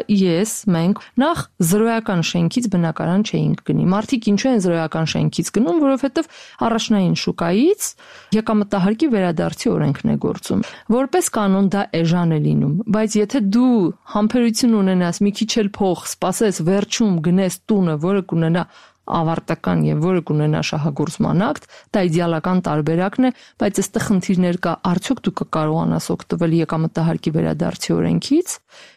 մենք նախ զրոյական շենքից բնակարան չէինք գնի։ Մարդիկ ինչու են զրոյական շենքից գնում, որովհետև առաջնային շուկայից եկամտահարկի վերադարձի օրենքն է գործում։ Որպես կանոն դա էժան է լինում, բայց եթե դու համբերություն ունենաս մի քիչ էլ փող սպասես վերջում գնես տունը, որը կունենա ավարտական եւ որը կունենա շահագործման ակտ, դա իդեալական տարբերակն է, բայց այստեղ խնդիրներ կա, արդյոք դու կկարողանաս օգտվել եկամտահարկի վերադարձի օրենքից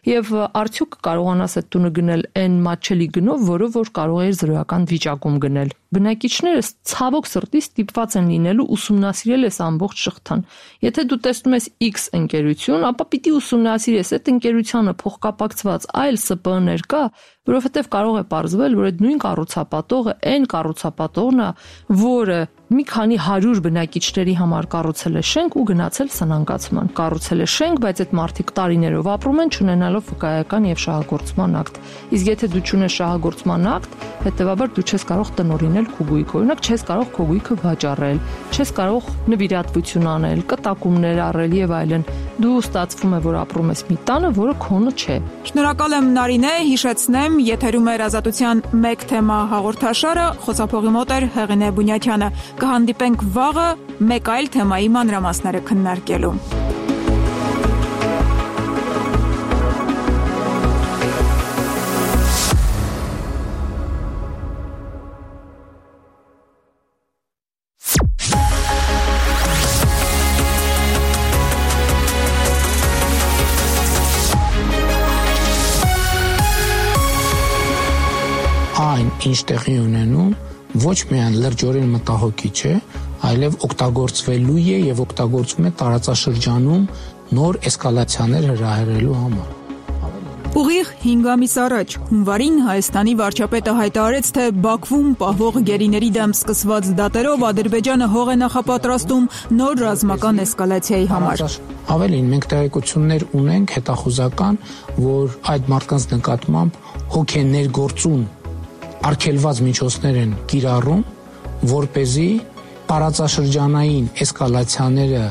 եւ արդյոք կկարողանաս այդ տունը գնել այն մատչելի գնով, որը որ կարող է զրոյական վիճակում գնել։ Բնակիչները ցավոք սրտի ստիպված են լինելու ուսումնասիրել այս ամբողջ շղթան։ Եթե դու տեսնում ես X ընկերություն, ապա պիտի ուսումնասիրես այդ ընկերությանը փոխկապակցված այլ ՍՊԸ-ներ կա, որովհետև կարող է պարզվել, որ այդ նույն կառուցապատողը այն կառուցապատողն է, որը մի քանի 100 բնակիչների համար կառուցել է շենք ու գնացել սնանկացման։ Կառուցել է շենք, բայց այդ մարդիկ տարիներով ապրում են, չունենալով վկայական եւ շահագործման ակտ։ Իսկ եթե դու չունես շահագործման ակտ, հետեւաբար դու չես կարող տնօրինել քո գույքը։ Օրինակ, չես կարող քո գույքը վաճառել, չես կարող նվիրատվություն անել, կտակումներ առել եւ այլն։ Դու ստացվում է, որ ապրում ես մի տանը, որը քոնը չէ։ Շնորհակալ եմ Նարինե, հիշեցնեմ, եթերում էր Ազատության մեկ թեմա հաղորդաշարը, խոսափողի մոտ էր Հեղինե Բունյաթյանը։ Կհանդիպենք վաղը մեկ այլ թեմայի մանրամասները քննարկելու։ Այն ինչ տեղի ունենում ոչ միայն լրջորեն մտահոգիչ է, այլև օգտագործվելու է եւ օգտագործում է տարածաշրջանում նոր էսկալացիաներ հրահրելու համար։ Ուղիղ 5 ամիս առաջ հունվարին Հայաստանի վարչապետը հայտարարեց, թե Բաքվում պահվող գերիների դեմ սկսված դատերով Ադրբեջանը հող է նախապատրաստում նոր ռազմական էսկալացիայի համար։ Ավելին, մենք տեղեկություններ ունենք հետախուզական, որ այդ մարդկանց նկատմամբ հոգ է ներգործուն արգելված միջոցներ են կիրառում, որպեսզի տարածաշրջանային էսկալացիաները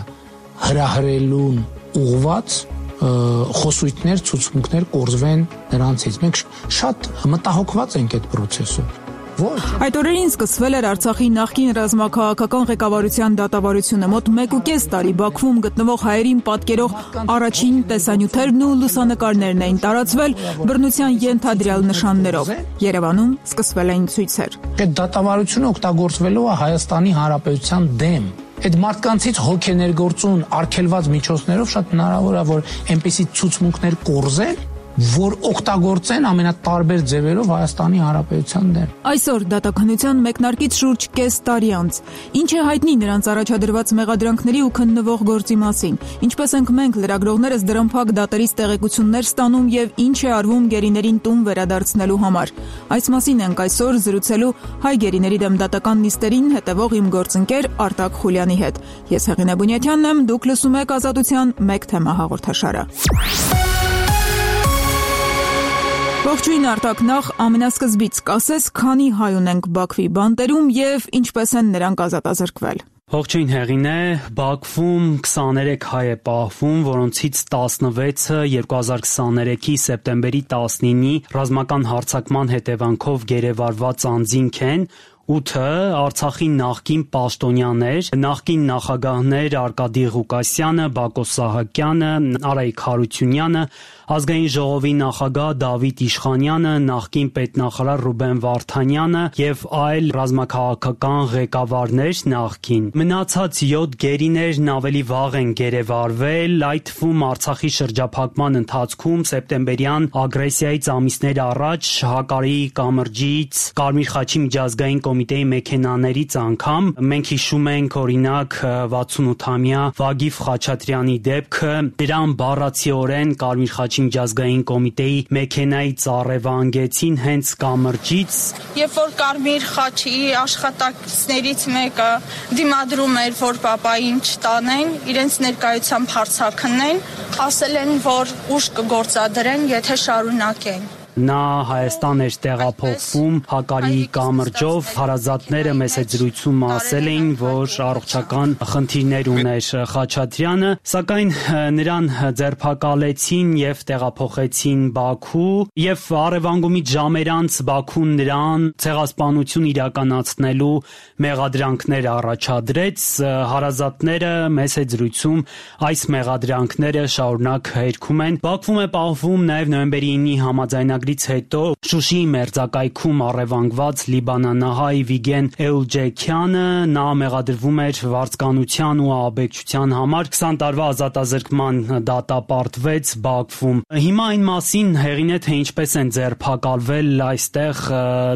հրահրելուն ուղղված խոսույթներ, ցուցմունքներ կորզվեն նրանցից։ Մենք շատ մտահոգված ենք այդ process-ով։ Այդ օրերին սկսվել էր Արցախի նախկին ռազմաքաղաքական ղեկավարության դատավարությունը։ Մոտ 1.5 տարի Բաքվում գտնվող հայերին պատկերող առաջին տեսանյութերն ու լուսանկարներն էին տարածվել բռնության ենթադրյալ նշաններով։ Երևանում սկսվել էին ցույցեր։ Այդ դատավարությունը օգտագործվելու է Հայաստանի Հանրապետության դեմ։ Այդ մարդկանցից հոգ է ներգործուն արգելված միջոցներով շատ հնարավոր է, որ այնպիսի ցուցմունքներ կորզեն, որ օգտագործեն ամենատարբեր ձևերով Հայաստանի Հանրապետության դեմ։ Այսօր դատականության մեկնարկից շուրջ կես տարի անց ինչ է հայտնի նրանց առաջադրված մեղադրանքների ու քննվող գործի մասին, ինչպես ենք մենք լրագրողներս դրան փակ դատերից տեղեկություններ ստանում եւ ինչ է արվում գերիներին տուն վերադարձնելու համար։ Այս մասին ենք այսօր զրուցելու հայ գերիների դեմ դատական նիստերին հետևող իմ գործընկեր Արտակ Խուլյանի հետ։ Ես Հեղինե Բունյաթյանն եմ, դուք լսում եք Ազատության մեկ թեմա հաղորդաշարը։ Ողջույն Արտակ, նախ ամենասկզբից կասես, քանի հայ ունենք Բաքվի բանտերում եւ ինչպես են նրանք ազատազրկվել։ Ողջույն Հեղինե, Բաքվում 23 հայ է պահվում, որոնցից 16-ը 2023-ի սեպտեմբերի 19-ի ռազմական հարձակման հետևանքով գերեվարված անձինք են, 8-ը Արցախի նախկին պաշտոնյաներ, նախկին նախագահներ Արկադի Ղուկասյանը, Բակոս Սահակյանը, Արայիկ Հարությունյանը, Ազգային ժողովի նախագահ Դավիթ Իշխանյանը, նախկին պետնախարար Ռուբեն Վարդանյանը եւ այլ ռազմաքաղաքական ղեկավարներ նախկին։ Մնացած 7 գերիներն ավելի վաղ են գերեվարվել, այդ թվում Արցախի շրջափակման ընթացքում սեպտեմբերյան ագրեսիայից ամիսներ առաջ Հակարի կամրջից Կարմիր խաչի միջազգային կոմիտեի մեքենաներից անգամ մենք հիշում ենք օրինակ 68-ամյա Վագիվ Խաչատրյանի դեպքը, դրան բառացիորեն Կարմիր խաչի միջազգային կոմիտեի մեքենայից առևանգեցին հենց կամրջից։ Երբ որ Կարմիր խաչի աշխատակիցներից մեկը դիմադրում էր, որ պապային չտանեն, իրենց ներկայությամբ հարցաքննեն, ասել են, որ ուժ կգործադրեն, եթե շարունակեն։ Նա Հայաստան էր տեղափոխվում Հակարի կամրջով, հարազատները մեծ զրույցում ասել էին, որ առողջական խնդիրներ ուներ Խաչատրյանը, սակայն նրան ձերբակալեցին եւ տեղափոխեցին Բաքու եւ առևանգումից ժամեր անց Բաքուն նրան ցեղասպանություն իրականացնելու մեղադրանքներ առաջադրեց, հարազատները մեծ զրույցում այս մեղադրանքները շարունակ հերքում են։ Բաքվում է պահվում նաեւ նոյեմբերի 9-ի համաձայնագրի հետո Շուշիի մերձակայքում առևանգված լիբանանահայ Վիգեն Էուլջեքյանը, նա մեղադրվում էր վարձկանության ու աբեկչության համար, 20 տարվա ազատազրկման դատապարտվեց Բաքվում։ Հիմա այն մասին Հեղինե, թե ինչպես են ձերբակալվել այստեղ,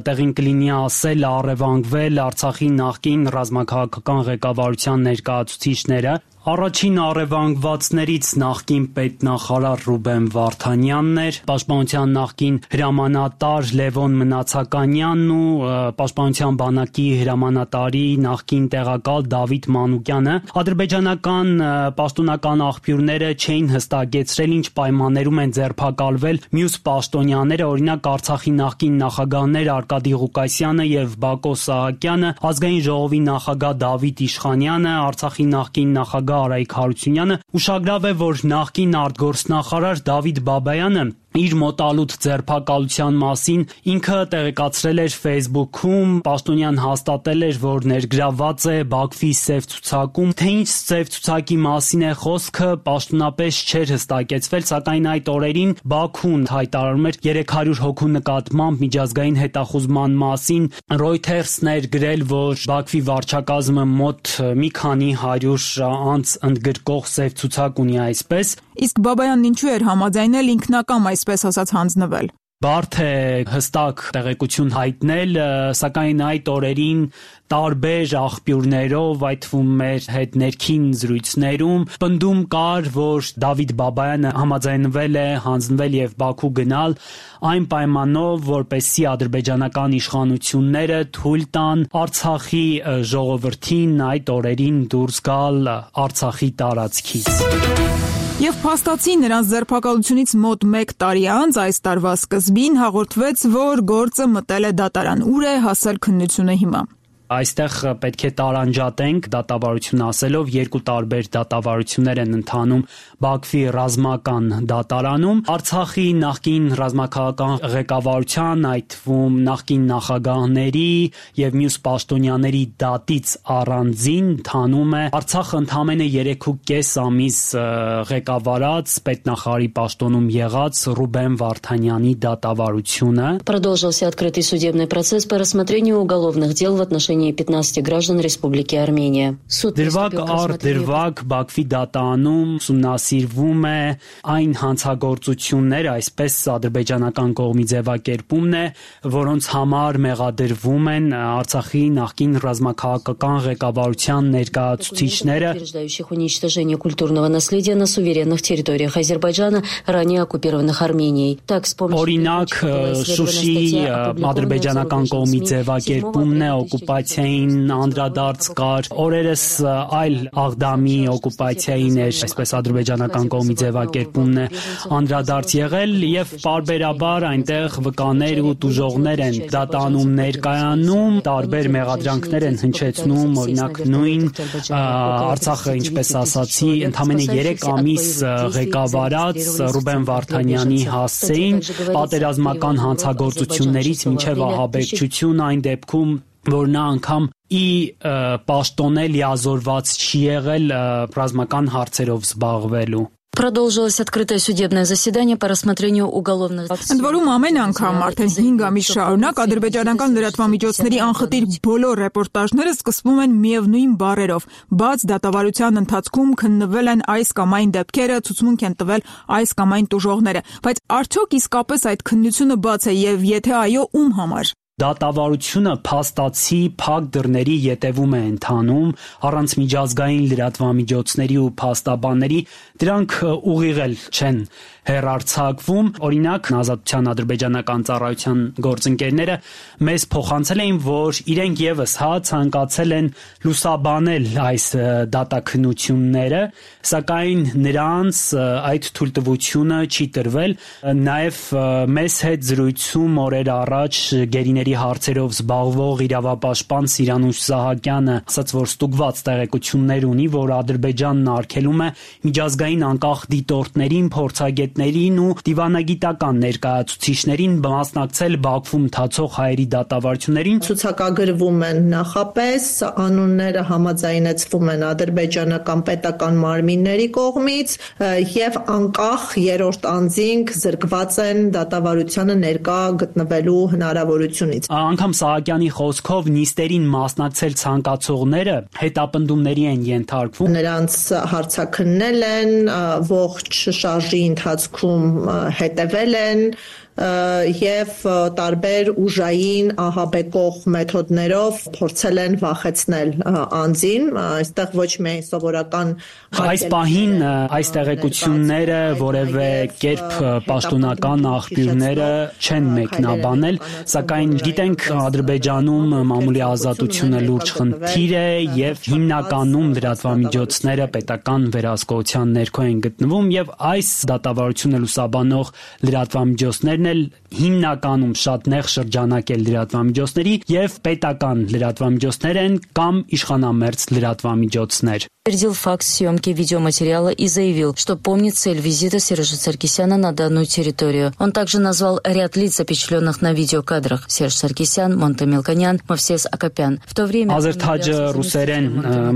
տեղին կլինի ասել, առևանգվել Արցախի նախկին ռազմաքաղաքական ղեկավարության ներկայացուցիչները։ Առաջին առևանգվածներից նախկին պետնախարար Ռուբեն Վարդանյանն էր, պաշտպանության նախկին հրամանատար Լևոն Մնացականյանն ու պաշտպանության բանակի հրամանատարի նախկին տեղակալ Դավիթ Մանուկյանը։ Ադրբեջանական պաշտոնական աղբյուրները չէին հստակեցրել ինչ պայմաններում են ձերբակալվել մյուս պաշտոնյաները, օրինակ Արցախի նախկին նախագահներ Արկադի Ղուկասյանը եւ Բակոս Սահակյանը, Ազգային ժողովի նախագահ Դավիթ Իշխանյանը, Արցախի նախկին նախագահ Արայիկ Հարությունյանը, ուշագրավ է, որ նախկին արտգործնախարար Դավիթ Բաբայանը իր մոտալուտ ձերբակալության մասին ինքը տեղեկացրել էր Facebook-ում, պաշտոնյան հաստատել էր, որ ներգրաված է Բաքվի սև ցուցակում, թե ինչ սև ցուցակի մասին է խոսքը, պաշտոնապես չէր հստակեցվել, սակայն այդ օրերին Բաքուն հայտարարում էր 300 հոգու նկատմամբ միջազգային հետախուզման մասին։ Reuters-ն էր գրել, որ Բաքվի վարչակազմը մոտ մի քանի 100 անց ընդգրկող սև ցուցակ ունի այսպես։ Իսկ Բաբայանն ինչու էր համաձայնել ինքնակամ այսպես ասած հանձնվել։ Բարդ է հստակ տեղեկություն հայտնել, սակայն այդ օրերին տարբեր աղբյուրներով, այդ թվում մեր հետ ներքին զրույցներում պնդում կար, որ Դավիթ Բաբայանը համաձայնվել է հանձնվել եւ Բաքու գնալ այն պայմանով, որպեսզի ադրբեջանական իշխանությունները թույլ տան Արցախի ժողովրդին այդ օրերին դուրս գալ Արցախի տարածքից։ Եվ փաստացի նրանց ձերբակալությունից մոտ 1 տարի անց այս տարվա սկզբին հաղորդվեց, որ գործը մտել է դատարան։ Ուր է հասել քննությունը հիմա։ Այստեղ պետք է տարանջատենք դատավարություն ասելով, երկու տարբեր դատավարություններ են ընթանում Բաքվի ռազմական դատարանում, Արցախի նախկին ռազմաքաղաքական ղեկավարության, այդ թվում նախկին նախագահների եւ մյուս պաշտոնյաների դատից առանձին ընթանում է Արցախը ընդամենը 3.5 ամիս ղեկավարած պետնախարարի պաշտոնում եղած Ռուբեն Վարդանյանի դատավարությունը։ Продолжился открытый судебный процесс по рассмотрению уголовных дел в отношении 15 граждан Республики Армения. Դրվագ առ դրվագ Բաքվի դատարանում ուսումնասիրվում է այն հանցագործությունները, այսպես ադրբեջանական կողմի ձևակերպումն է, որոնց համար մեղադրվում են Արցախի նախկին ռազմաքաղաքական ղեկավարության ներկայացուցիչները, утверждающих уничтожение культурного наследия на суверенных территориях Азербайджана, ранее оккупированных Арменией. Так, с помощью օրինակ Շուշի ադրբեջանական կողմի ձևակերպումն է, օկուպացիային անդրադարձ կար, օրերս այլ Աղդամի օկուպացիային էր, այսպես ադրբեջանական կողմի ձևակերպումն է անդրադարձ եղել եւ պարբերաբար այնտեղ վկաներ ու տուժողներ են դատանում ներկայանում, տարբեր մեղադրանքներ են հնչեցնում, օրինակ նույն Արցախը, ինչպես ասացի, ընդամենը 3 ամիս ղեկավարած Ռուբեն Վարդանյանի հասցեին պատերազմական հանցագործություններից մինչև ահաբեկչություն, այն դեպքում որ նա անգամ պաշտոնե լիազորված չի եղել ռազմական հարցերով զբաղվելու։ Продолжилось открытое судебное заседание по рассмотрению уголовных дел. Ընդ որում ամեն անգամ արդեն 5 ամիս շարունակ ադրբեջանական լրատվամիջոցների անխտիր բոլոր ռեպորտաժները սկսվում են միևնույն բառերով. բաց դատավարության ընթացքում քննվել են այս կամ այն դեպքերը, ցուցմունք են տվել այս կամ այն տուժողները, բայց արդյոք իսկապես այդ քննությունը բաց է եւ եթե այո, ում համար։ Դատավարությունը փաստացի փակ դռների ետևում է ընթանում, առանց միջազգային լրատվամիջոցների ու փաստաբանների, դրանք ուղիղ չեն հեռարձակվում։ Օրինակ, Ազատության ադրբեջանական ծառայության գործընկերները մեզ փոխանցել էին, որ իրենք եւս ցանկացել են լուսաբանել այս դատաքննությունները, սակայն նրանց այդ թույլտվությունը չի տրվել։ Նաեւ մեզ հետ զրույցում օրեր առաջ գերիների հարցերով զբաղվող իրավապաշտպան Սիրանուշ Սահակյանը ասաց, որ ստուգված տեղեկություններ ունի, որ Ադրբեջանն արգելում է միջազգային անկախ դիտորդներին, փորձագետներին ու դիվանագիտական ներկայացուցիչներին մասնակցել Բաքվում ընթացող հայերի դատավարություններին։ Ցուցակագրվում են նախապես, անունները համաձայնեցվում են ադրբեջանական պետական մարմինների կողմից եւ անկախ երրորդ անձինք զրկված են դատավարությանը ներկա գտնվելու հնարավորությունից։ Անգամ Սահակյանի խոսքով նիստերին մասնակցել ցանկացողները հետապնդումների են ենթարկվում։ Նրանց հարցաքննել են, ողջ շարժի ընթացքում հետևել են եւ տարբեր ուժային ահաբեկող մեթոդներով փորձել են վախեցնել անձին, այստեղ ոչ միայն սովորական այս պահին այս տեղեկությունները որևէ կերպ պաշտոնական աղբյուրները չեն մեկնաբանել, սակայն գիտենք Ադրբեջանում մամուլի ազատությունը լուրջ խնդիր է եւ հիմնականում լրատվամիջոցները պետական վերահսկողության ներքո են գտնվում եւ այս դատավարությունը լուսաբանող լրատվամիջոցներն հիմնականում շատ նեղ շրջանակ է լրատվամիջոցների եւ պետական լրատվամիջոցներ են կամ իշխանամերձ լրատվամիջոցներ։ Подтвердил факт съемки видеоматериала и заявил, что помнит цель визита Сержа Саркисяна на данную территорию. Он также назвал ряд лиц, запечатленных на видеокадрах: Серж Саркисян, Монте Мелконян, Мовсес Акопян. В то время Ազերթաջը ռուսերեն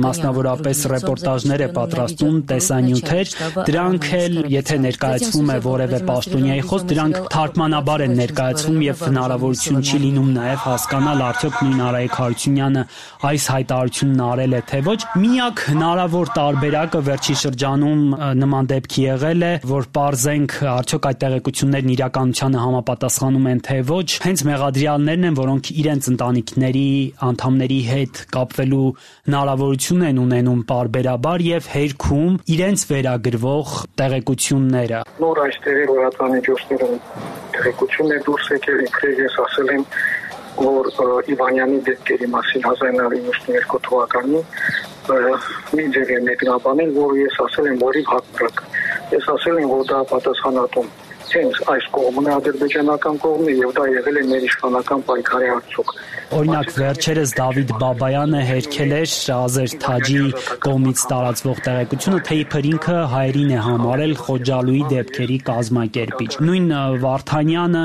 մասնավորապես ռեպորտաժներ է պատրաստում, տեսանյութեր, դրանք էլ եթե ներկայացվում է որևէ պաշտոնյայի խոսք, դրանք թարգմանաբար են ներկայացվում եւ հնարավորություն չի լինում նաեւ հասկանալ արդյոք նույն Արայիկ Հարությունյանը այս հայտարարությունն արել է թե ոչ։ Միակ հնարավոր տարբերակը վերջին շրջանում նման դեպքի եղել է, որ պարզենք արդյոք այդ տեղեկություններն իրականությանը համապատասխանում են թե ոչ, հենց մեղադրյալներն են, որոնք իրենց ընտանիքների անդամների հետ կապվելու հնարավորություն են ունենում պարբերաբար եւ հերքում իրենց վերագրվող տեղեկությունները։ Նոր այստեղի լրատվամիջոցներում տեղեկություն է դուրս եկել, ինքնին ես ասել եմ, որ Իվանյանի դեպքերի մասին 1992 թվականին մի ձև է մեկնաբանել, որ ես ասել եմ, որի հակառակ։ Ես ասել եմ, որ դա պատասխանատուն հենց այս կողմն է, ադրբեջանական կողմն է, եւ դա եղել է մեր իշխանական պայքարի արդյունք։ Օրինակ վերջերս Դավիթ Բաբայանը հերքել էր Ազեր Թաջի կողմից տարածվող տեղեկությունը, թե իբր ինքը հայերին է համարել Խոջալուի դեպքերի կազմակերպիչ։ Նույն Վարդանյանը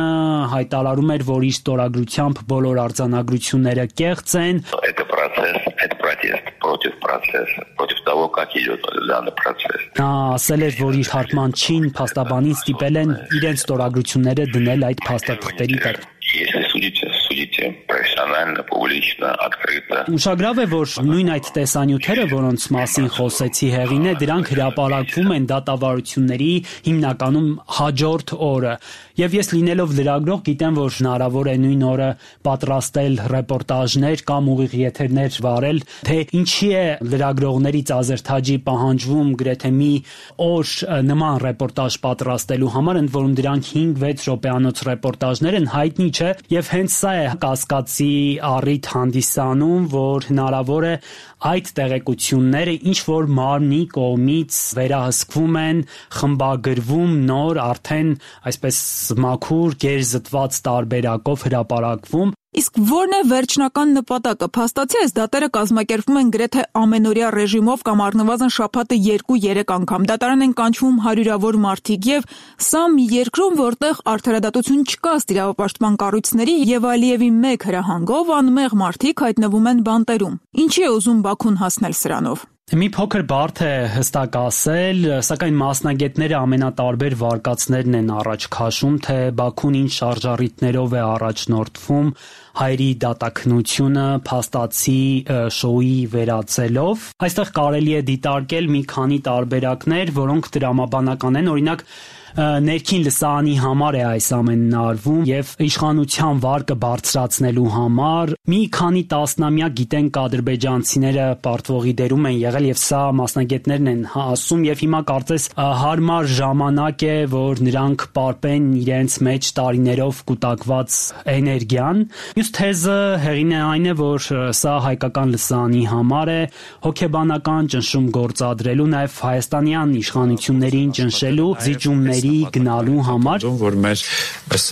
հայտարարում էր, որ իր ստորագրությամբ բոլոր արձանագրությունները կեղծ են։ Это протест против процесса, против того, как идет данный процесс. Նա ասել էր, որ իր թարգմանչին փաստաբանին ստիպել են իրենց ստորագրությունները դնել այդ փաստաթղթերի տակ։ Если судите профессионально, публично, открыто. Ուշագրավ է, որ նույն այդ տեսանյութերը, որոնց մասին խոսեցի հեղին է, դրանք հրապարակվում են դատավարությունների հիմնականում հաջորդ օրը։ Եվ ես լինելով լրագրող գիտեմ, որ հնարավոր է նույն օրը պատրաստել ռեպորտաժներ կամ ուղիղ եթերներ վարել, թե ինչի է լրագրողներից Ազեր Թաջի պահանջվում գրեթե մի օր նման ռեպորտաժ պատրաստելու համար, ընդ որում դրանք 5-6 րոպեանոց ռեպորտաժներ են, հայտնի չէ, եւ հենց սա է կասկածի առիթ հանդիսանում, որ հնարավոր է այդ տեղեկությունները ինչ որ մարմնի կողմից վերահսկվում են, խմբագրվում, նոր արդեն այսպես մաքուր գերզտված տարբերակով հրապարակվում։ Իսկ ո՞րն է վերջնական նպատակը։ Փաստացի այս դատերը կազմակերպվում են գրեթե ամենօրյա ռեժիմով կամ առնվազն շաբաթը 2-3 անգամ։ Դատարան են կանչվում հարյուրավոր մարդիկ եւ սա մի երկրում, որտեղ արդարադատություն չկա ըստ իրավապաշտպան կառույցների եւ Ալիևի մեկ հրահանգով անմեղ մարդիկ հայտնվում են բանտերում։ Ինչի է ուզում Բաքուն հասնել սրանով։ Մի փոքր բարդ է հստակ ասել, սակայն մասնագետները ամենատարբեր վարկածներն են առաջ քաշում, թե Բաքուն ինչ շարժառիթներով է առաջնորդվում հայերի դատաքնությունը փաստացի շոուի վերածելով։ Այստեղ կարելի է դիտարկել մի քանի տարբերակներ, որոնք տրամաբանական են, օրինակ ներքին լսարանի համար է այս ամենն արվում եւ իշխանության վարկը բարձրացնելու համար մի քանի տասնամյակ գիտենք ադրբեջանցիները պարտվողի դերում են եղել եւ սա մասնագետներն են ասում եւ հիմա կարծես հարմար ժամանակ է, որ նրանք պարպեն իրենց մեջ տարիներով կուտակված էներգիան։ Մյուս թեզը հեղին է այն է, որ սա հայկական լսարանի համար է հոգեբանական ճնշում գործադրելու, նաեւ հայաստանյան իշխանություններին ճնշելու զիջումների գնալու համար, որ մեր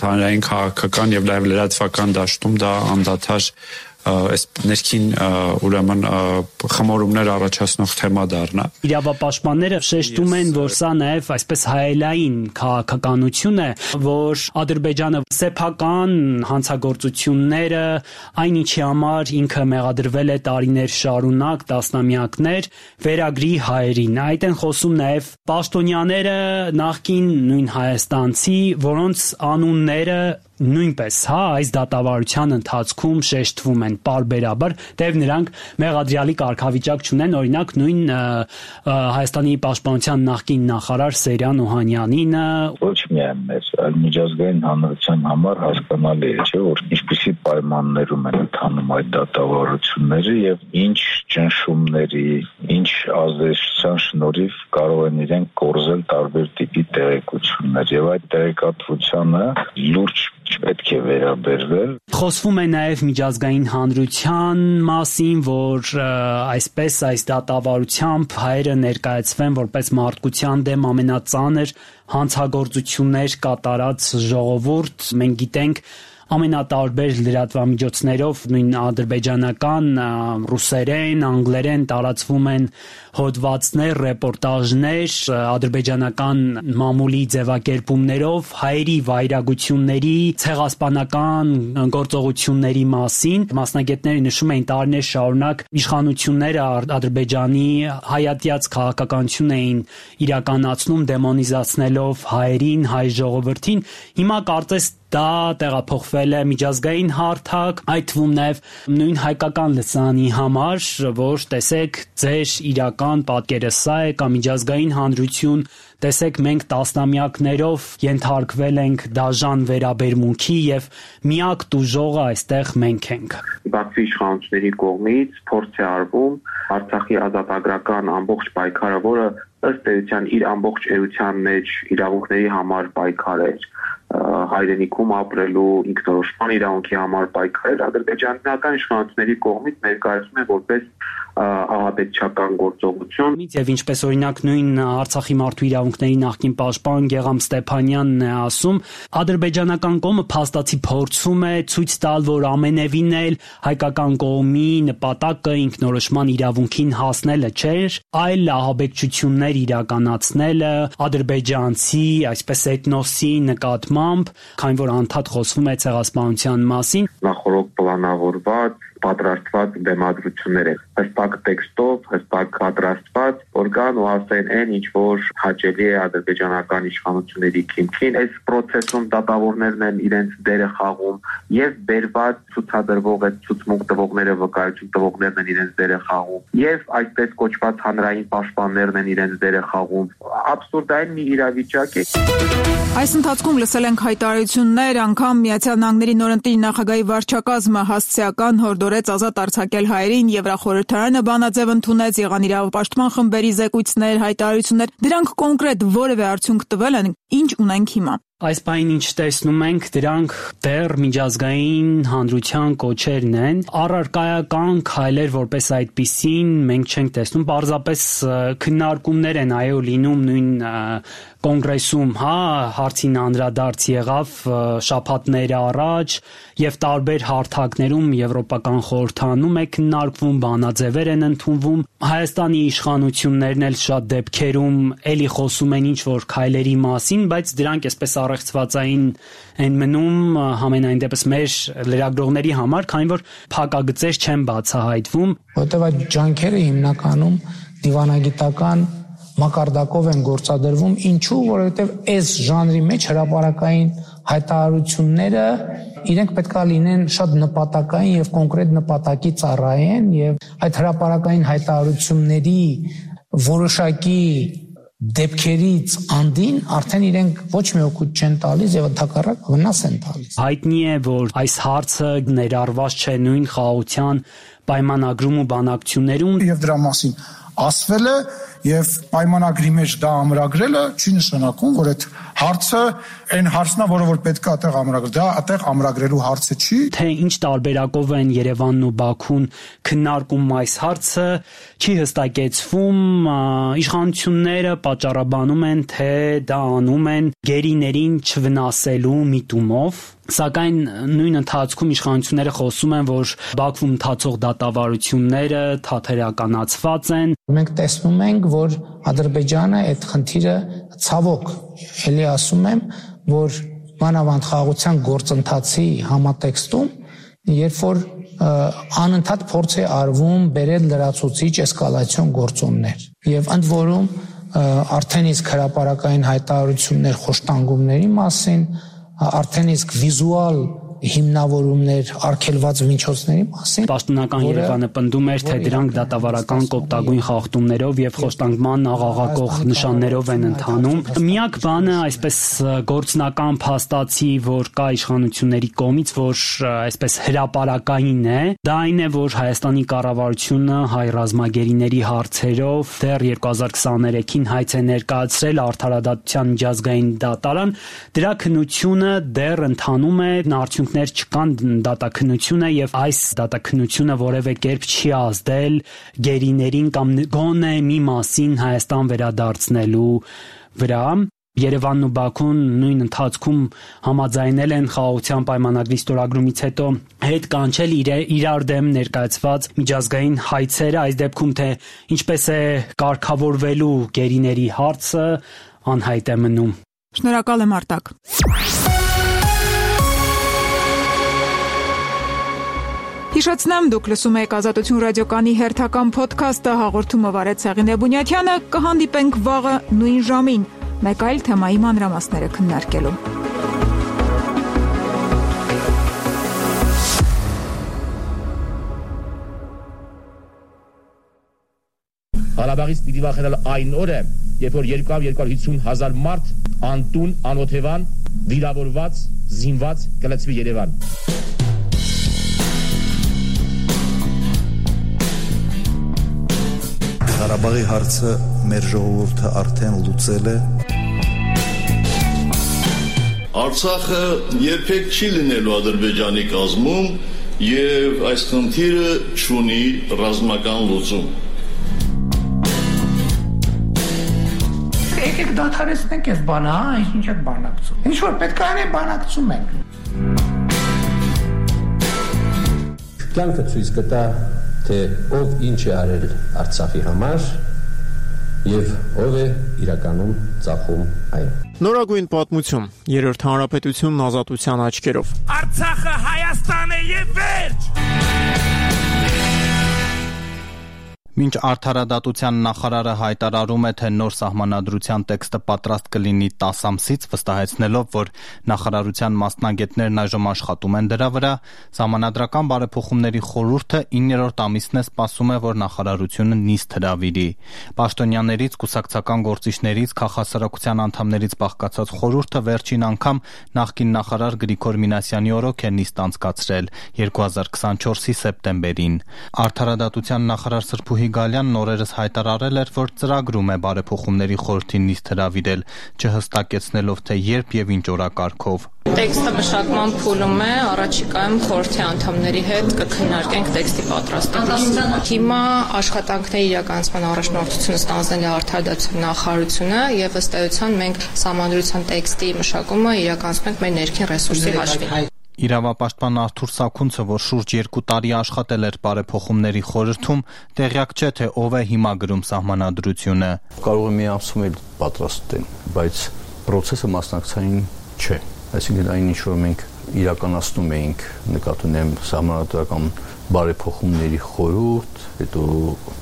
հանրային քաղաքական եւ լայվ լրատվական դաշտում դա անդադար այս ներքին ուրեմն խմորումներ առաջացնող թեմա դառնա։ Իրավապաշտպանները շեշտում են, որ սա նաև այսպես հայելային քաղաքականություն է, որ Ադրբեջանը սեփական հանցագործությունները, այնինչի համար ինքը մեղադրվել է տարիներ շարունակ, տասնամյակներ, վերագրի հայերին։ Այդ են խոսում նաև պաշտոնյաները, նախկին նույն հայաստանցի, որոնց անունները նույնպես, այս դատավարության ընթացքում շեշտվում են պարբերաբար, թեև նրանք մեղադրյալի կարգավիճակ չունեն, օրինակ նույն Հայաստանի պաշտպանության նախկին նախարար Սերյան Օհանյանինը ոչ միայն մեզ, այլ միջազգային հանրության համար հասկանալի է, չէ, որ ինչպիսի պայմաններում են ընթանում այդ դատավարությունները եւ ինչ ճնշումների, ինչ ազդեցության շնորհիվ կարող են իրենք կորզել տարբեր տիպի տեղեկություններ եւ այդ տեղեկատվությանը լուրջ չպետք է վերաբերվել։ Խոսվում է նաև միջազգային հանրության մասին, որ այսպես այս դատավարությամբ հայերը ներկայացվեն որպես մարդկության դեմ ամենածանր հանցագործություններ կատարած ժողովուրդ։ Մենք գիտենք ամենատարբեր լրատվամիջոցներով նույն ադրբեջանական, ռուսերեն, անգլերեն տարածվում են հոդվածներ, ռեպորտաժներ ադրբեջանական մամուլի ձևակերպումներով հայերի վայրագությունների, ցեղասպանական գործողությունների մասին։ Մասնագետները նշում են տարիներ շարունակ իշխանությունները Ադրբեջանի հայատյաց քաղաքականություն էին իրականացնում դեմոնիզացնելով հայերին, հայ ժողովրդին։ Հիմա կարծես դա տեղափոխվել է միջազգային հարթակ, այդ թվում նաև նույն հայկական լսանի համար, որ տեսեք ձեր իրական պատկերը սա է կամ միջազգային հանրություն, տեսեք մենք տասնամյակներով ենթարկվել ենք դաժան վերաբերմունքի եւ միակ տուժողը այստեղ մենք ենք։ Բաքվի իշխանությունների կողմից փորձ է արվում Արցախի ազատագրական ամբողջ պայքարը, որը ըստ էության իր ամբողջ էության մեջ իրավունքների համար պայքար էր, հայրենիքում ապրելու ինքնորոշման իրավունքի համար պայքար, ադրբեջանական իշխանությունների կողմից ներկայացվում է որպես ահաբեկչական գործողություն։ Եվ ինչպես օրինակ նույն Արցախի մարդու իրավունքների նախկին պաշտպան Գեգամ Ստեփանյանն է ասում, ադրբեջանական կողմը փաստացի փորձում է ցույց տալ, որ ամենևին էլ հայկական կողմի նպատակը ինքնորոշման իրավունքին հասնելը չէր, այլ ահաբեկչություններ իրականացնելը ադրբեջանցի, այսպես էթնոսի նկատմամբ, քանի որ անդադ խոսվում է ցեղասպանության մասին։ Նախորդ պլանավորված պատրաստված բեմադրություններ են հստակ տեքստով, հստակ պատրաստված, որ կան ու ասեն այն ինչ որ հաճելի է ադրբեջանական իշխանությունների քիմքին, այս process-ում դատավորներն են իրենց դերը խաղում եւ բերված ցուցադրվող այդ ցուցմունք տվողները, վկայություն տվողներն են իրենց դերը խաղում եւ այսպես կոչված հանրային պաշտպաններն են իրենց դերը խաղում։ Աբսուրդային մի իրավիճակ է։ Այս ընթացքում լսել ենք հայտարարություններ, անգամ Միացյալ Նահանգների նորընտիր նախագահի վարչակազմը հասցեական հորդորեց ազատ արձակել հայերին, Եվրախորհրդարանը բանաձև ընդունեց, եղան իրավապաշտպան խմբերի զեկույցներ, հայտարարություններ, դրանք կոնկրետ որևէ արդյունք տվել են, ինչ ունենք հիմա։ Այս բանին ինչ տեսնում ենք, դրանք դեռ միջազգային հանրության կոչերն են, առարկայական քայլեր որպես այդպիսին մենք չենք տեսնում, պարզապես քննարկումներ են այո լինում նույն կոնգրեսում, հարցին անդրադարձ եղավ շաբաթներ առաջ եւ տարբեր հարթակներում Եվրոպական խորհրդանում է քննարկվում, բանաձևեր են ընդունվում, Հայաստանի իշխանություններն էլ շատ դեպքերում էլի խոսում են ինչ որ քայլերի մասին, բայց դրանք այսպես առեղծվածային են մնում համենայն դեպս մեր լրագրողների համար, քանի որ փակագծեր չեն բացահայտվում, որտեղ այդ ջանքերը հիմնականում դիվանագիտական մակարդակով են գործադրվում, ինչու, որովհետև այս ժանրի մեջ հրապարակային հայտարարությունները իրենք պետքա լինեն շատ նպատակային եւ կոնկրետ նպատակի ծառայեն եւ այդ հրապարակային հայտարարությունների որոշակի դեպքերից անդին արդեն իրենք ոչ մի օգուտ չեն տալիս եւ ընդհակառակ վնաս են տալիս։ Հայտնի է, որ այս հարցը ներառված չէ նույն խաղաղության պայմանագրում ու բանակցություններում եւ դրա մասին ասվել է եւ պայմանագրի մեջ դա ամրագրելը չի նշանակում, որ այդ հարցը այն հարցն է, որը որ պետք է այդտեղ ամրագրել, դա այդտեղ ամրագրելու հարցը չի։ Թե ինչ տարբերակով են Երևանն ու Բաքուն քննարկում այս հարցը, չի հստակեցվում, իշխանությունները պատճառաբանում են, թե դա անում են գերիներին չվնասելու միտումով, սակայն նույն ընթացքում իշխանությունները խոսում են, որ Բաքվում ընթացող դատավարությունները թատերականացված են։ Մենք տեսնում ենք, որ Ադրբեջանը այդ խնդիրը ցավոք, էլի ասում եմ, որ մանավանդ խաղաղության գործընթացի համատեքստում, երբ որ անընդհատ փորձ է արվում բերել լրացուցիչ էսկալացիոն գործոններ եւ ընդ որում արդեն իսկ հրապարակային հայտարարություններ խոշտանգումների մասին, արդեն իսկ վիզուալ հիմնավորումներ արգելված միջոցների մասին։ Պաշտոնական Երևանը պնդում էր, թե դրանք դատավարական կոպտագույն խախտումներով եւ խոշտանգման աղաղակող նշաններով են ընթանում։ Միակ բանը, այսպես գործնական փաստացի, որ կա իշխանությունների կողմից, որ այսպես հրապարակային է, դա այն է, որ Հայաստանի կառավարությունը հայ ռազմագերիների հարցերով դեռ 2023-ին հայց է ներկայացրել Արդարադատության միջազգային դատարան, դրա քննությունը դեռ ընթանում է, արդյունքներ չկան, դատաքննությունը եւ այս դատաքննությունը որևէ կերպ չի ազդել գերիներին կամ գոնե մի մասին Հայաստան վերադարձնելու վրա։ Երևանն ու Բաքուն նույն ընթացքում համաձայնել են խաղաղության պայմանագրի ստորագրումից հետո հետ կանչել իրար դեմ ներկայացված միջազգային հայցերը, այս դեպքում թե ինչպես է կարգավորվելու գերիների հարցը անհայտ է մնում։ Շնորհակալ եմ Արտակ։ Հիշեցնեմ, դուք լսում եք Ազատություն ռադիոկայանի հերթական փոդքասթը, հաղորդումը վարեց Հեղինե Բունյաթյանը, կհանդիպենք վաղը նույն ժամին, մեկ այլ թեմայի մանրամասները քննարկելու։ Ղարաբաղից պիտի վախենալ այն օրը, երբ որ 250,000 մարդ անտուն, անօթևան, վիրավորված, զինված կլցվի Երևան։ Ղարաբաղի հարցը մեր ժողովուրդը արդեն լուծել է։ Արցախը երբեք չի լինելու Ադրբեջանի կազմում եւ այս խնդիրը չունի ռազմական լուծում։ Եկեք դադարեցնենք այս բանը, ինչ եք բանակցում։ Ինչ որ պետք է անենք, բանակցում ենք։ Կյանքը ցույց կտա, թե ով ինչ է արել Արցախի համար եւ ով է իրականում ծախում այն։ Նորագույն պատմություն, Երրորդ հանրապետությունն ազատության աչքերով։ Արցախը Հայաստան է եւ վերջ։ Մինչ Արդարադատության նախարարը հայտարարում է, թե նոր սահմանադրության տեքստը պատրաստ կլինի 10 ամսից, վստահեցնելով, որ նախարարության մասնագետներն այժմ աշխատում են դրա վրա, Սահմանադրական բարեփոխումների խորհուրդը 9-րդ ամիսն է սպասում է, որ նախարարությունը նիստ հրավիրի։ Պաշտոնյաներից, կուսակցական գործիչներից, քաղաքասարակության անդամներից բաղկացած խորհուրդը վերջին անգամ նախկին նախարար Գրիգոր Մինասյանի օրոք է նիստ անցկացրել 2024-ի սեպտեմբերին։ Արդարադատության նախարար Սրբուհի Գալյանն օրերս հայտարարել էր, որ ծրագրում է բարեփոխումների խորհրդին նիստ հրավիրել, չհստակեցնելով, թե երբ եւ ինչ օրակարգով։ Տեքստը մշակման փուլում է, առաջիկայում խորհրդի անդամների հետ կքննարկենք տեքստի պատրաստելիս։ Հիմա աշխատանքների իրականացման առաջնորդությունը ստանձնել է Արդարադատության նախարարությունը եւ ըստ էության մենք սահմանադրության տեքստի մշակումը իրականացնում ենք մեր ներքին ռեսուրսի հաշվին։ Իրավապաշտպան Արթուր Սաքունցը, որ շուրջ 2 տարի աշխատել էր բարեփոխումների խորհրդում, տեղյակ չէ, թե ով է հիմա գրում սահմանադրությունը։ Կարող է մի ամսում էլ պատրաստեն, բայց process-ը մասնակցային չէ։ Այսինքն այն ինչ որ մենք իրականացնում էինք, նկատի ունեմ սահմանադրական բարեփոխումների խորհուրդ, հետո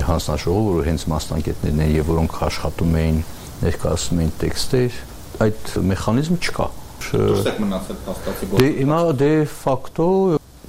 հանձնաժողով, որ հենց մասնագետներն են եւ որոնք աշխատում էին, ներկայացնում էին տեքստեր, այդ մեխանիզմը չկա։ Դուրսեք մնացել փաստացի Դե հիմա դե ֆակտո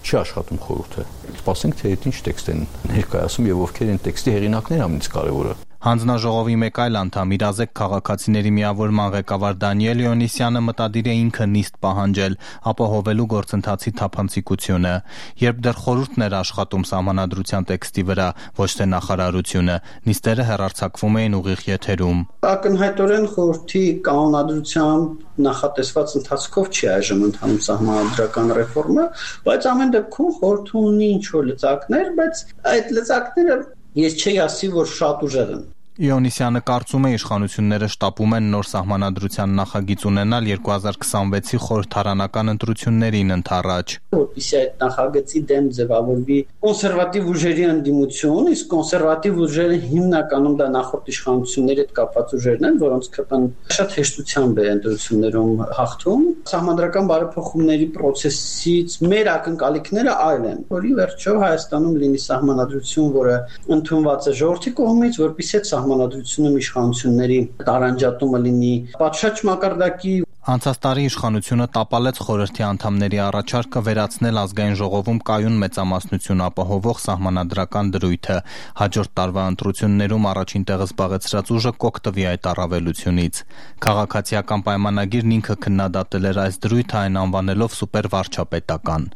չի աշխատում խորհուրդը։ Սպասենք թե ինչ տեքստ են ներկայացում եւ ովքեր են տեքստի հեղինակները ամենից կարեւորը։ Հանձնաժողովի մեկ այլ անդամ Իրազեկ քաղաքացիների միավորման ղեկավար Դանիել Իոնիսյանը մտադիր է ինքը նիստ պահանջել, ապահովելու գործընթացի թափանցիկությունը, երբ դեռ խորհուրդն էր աշխատում սահմանադրության տեքստի վրա, ոչ թե նախարարությունը, նիստերը հեռարձակվում էին ուղիղ եթերում։ Ակնհայտորեն խորհրդի կանոնադրությամբ նախատեսված ընթացքով չի այժմ ընթանում սահմանադրական ռեֆորմը, բայց ամեն դեպքում խորհուրդը ունի ինչ-որ լծակներ, բայց այդ լծակները ես չի ասի, որ շատ ուժեղ են։ Իոնիսյանը կարծում է իշխանությունները շտապում են նոր սահմանադրության նախագիծ ունենալ 2026-ի խորհրդարանական ընտրություններին ընդառաջ։ Որպեսզի այդ նախագծի դեմ ձևավորվի կոնսերվատիվ ուժերի ընդդիմություն, իսկ կոնսերվատիվ ուժերը հիմնականում դա նախորդ իշխանությունների հետ կապված ուժերն են, որոնց քրտան շատ հեշտությամբ է ընտրություններում հաղթում։ Սահմանադրական բարեփոխումների process-ից մեր ակնկալիքները այլ են, որի վերջո Հայաստանում լինի սահմանադրություն, որը ընդունված է ժողովրդի կողմից, որպեսզի սահմանադրությունում իշխանությունների տարանջատումը լինի պատշաճ մակարդակի։ Անցած տարի իշխանությունը տապալեց խորհրդի անդամների առաջարկը վերացնել ազգային ժողովում կայուն մեծամասնություն ապահովող սահմանադրական դրույթը։ Հաջորդ տարվա ընտրություններում առաջին տեղը զբաղեցրած ուժը կօգտվի այդ առավելությունից։ Քաղաքացիական պայմանագիրն ինքը քննադատել էր այս դրույթը, այն անվանելով սուպերվարչապետական։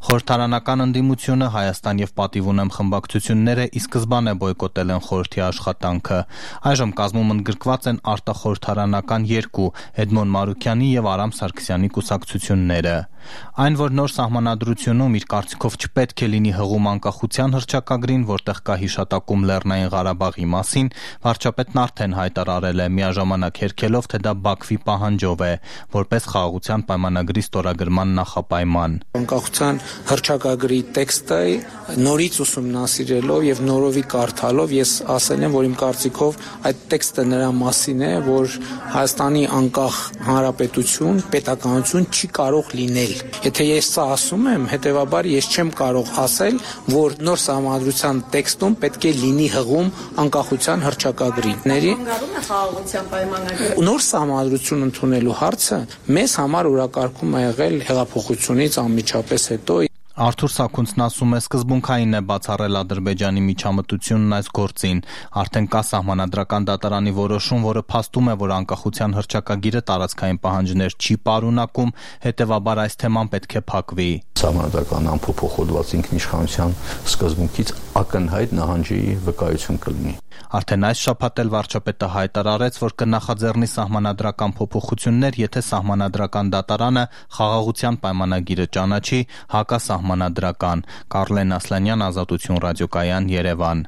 Խորհրդարանական ընդդիմությունը Հայաստան եւ Պատիվ ունեմ խմբակցությունները ի սկզբանե բոյկոտել են խորհրդի աշխատանքը։ Այժմ կազմում ընդգրկված են արտախորհրդարանական 2 Էդմոն Մարուկյանի եւ Արամ Սարգսյանի կուսակցությունները։ Այն, որ նոր սահմանադրությունում իր կարծիքով չպետք է լինի հղում անկախության հռչակագրին, որտեղ կա հիշատակում Լեռնային Ղարաբաղի մասին, վարչապետն արդեն հայտարարել է, միաժամանակ հերքելով, թե դա Բաքվի պահանջով է, որպես խաղաղության պայմանագրի ստորագրման նախապայման։ Անկախության հռչակագրի տեքստը նորից ուսումնասիրելով եւ նորովի կարդալով ես ասել եմ, որ իմ կարծիքով այդ տեքստը նրա մասին է, որ Հայաստանի անկախ հանրապետություն, պետականություն չի կարող լինել։ Եթե ես սա ասում եմ, հետեւաբար ես չեմ կարող ասել, որ նոր սահմանադրության տեքստում պետք է լինի հղում անկախության հռչակագրի։ Նոր սահմանադրություն ընդունելու հարցը մեզ համար օրակարգում է եղել հեղափոխությունից անմիջապես հետո։ Արթուր Սաքունցն ասում է, սկզբունքային է բացառել Ադրբեջանի միջամտությունն այս գործին։ Արդեն կա սահմանադրական դատարանի որոշում, որը փաստում է, որ անկախության հռչակագիրը տարածքային պահանջներ չի պարունակում, հետևաբար այս թեման պետք է փակվի։ Սահմանադրական անփոփոխված ինքնիշխանության սկզբունքից ակնհայտ նահանջի վկայություն կլինի։ Արդեն այս շաբաթ էլ վարչապետը հայտարարեց, որ կնախաձեռնի սահմանադրական փոփոխություններ, եթե սահմանադրական դատարանը խաղաղության պայմանագիրը ճանաչի հակասահմանադրական։ Կարլեն Ասլանյան, Ազատություն ռադիոկայան, Երևան։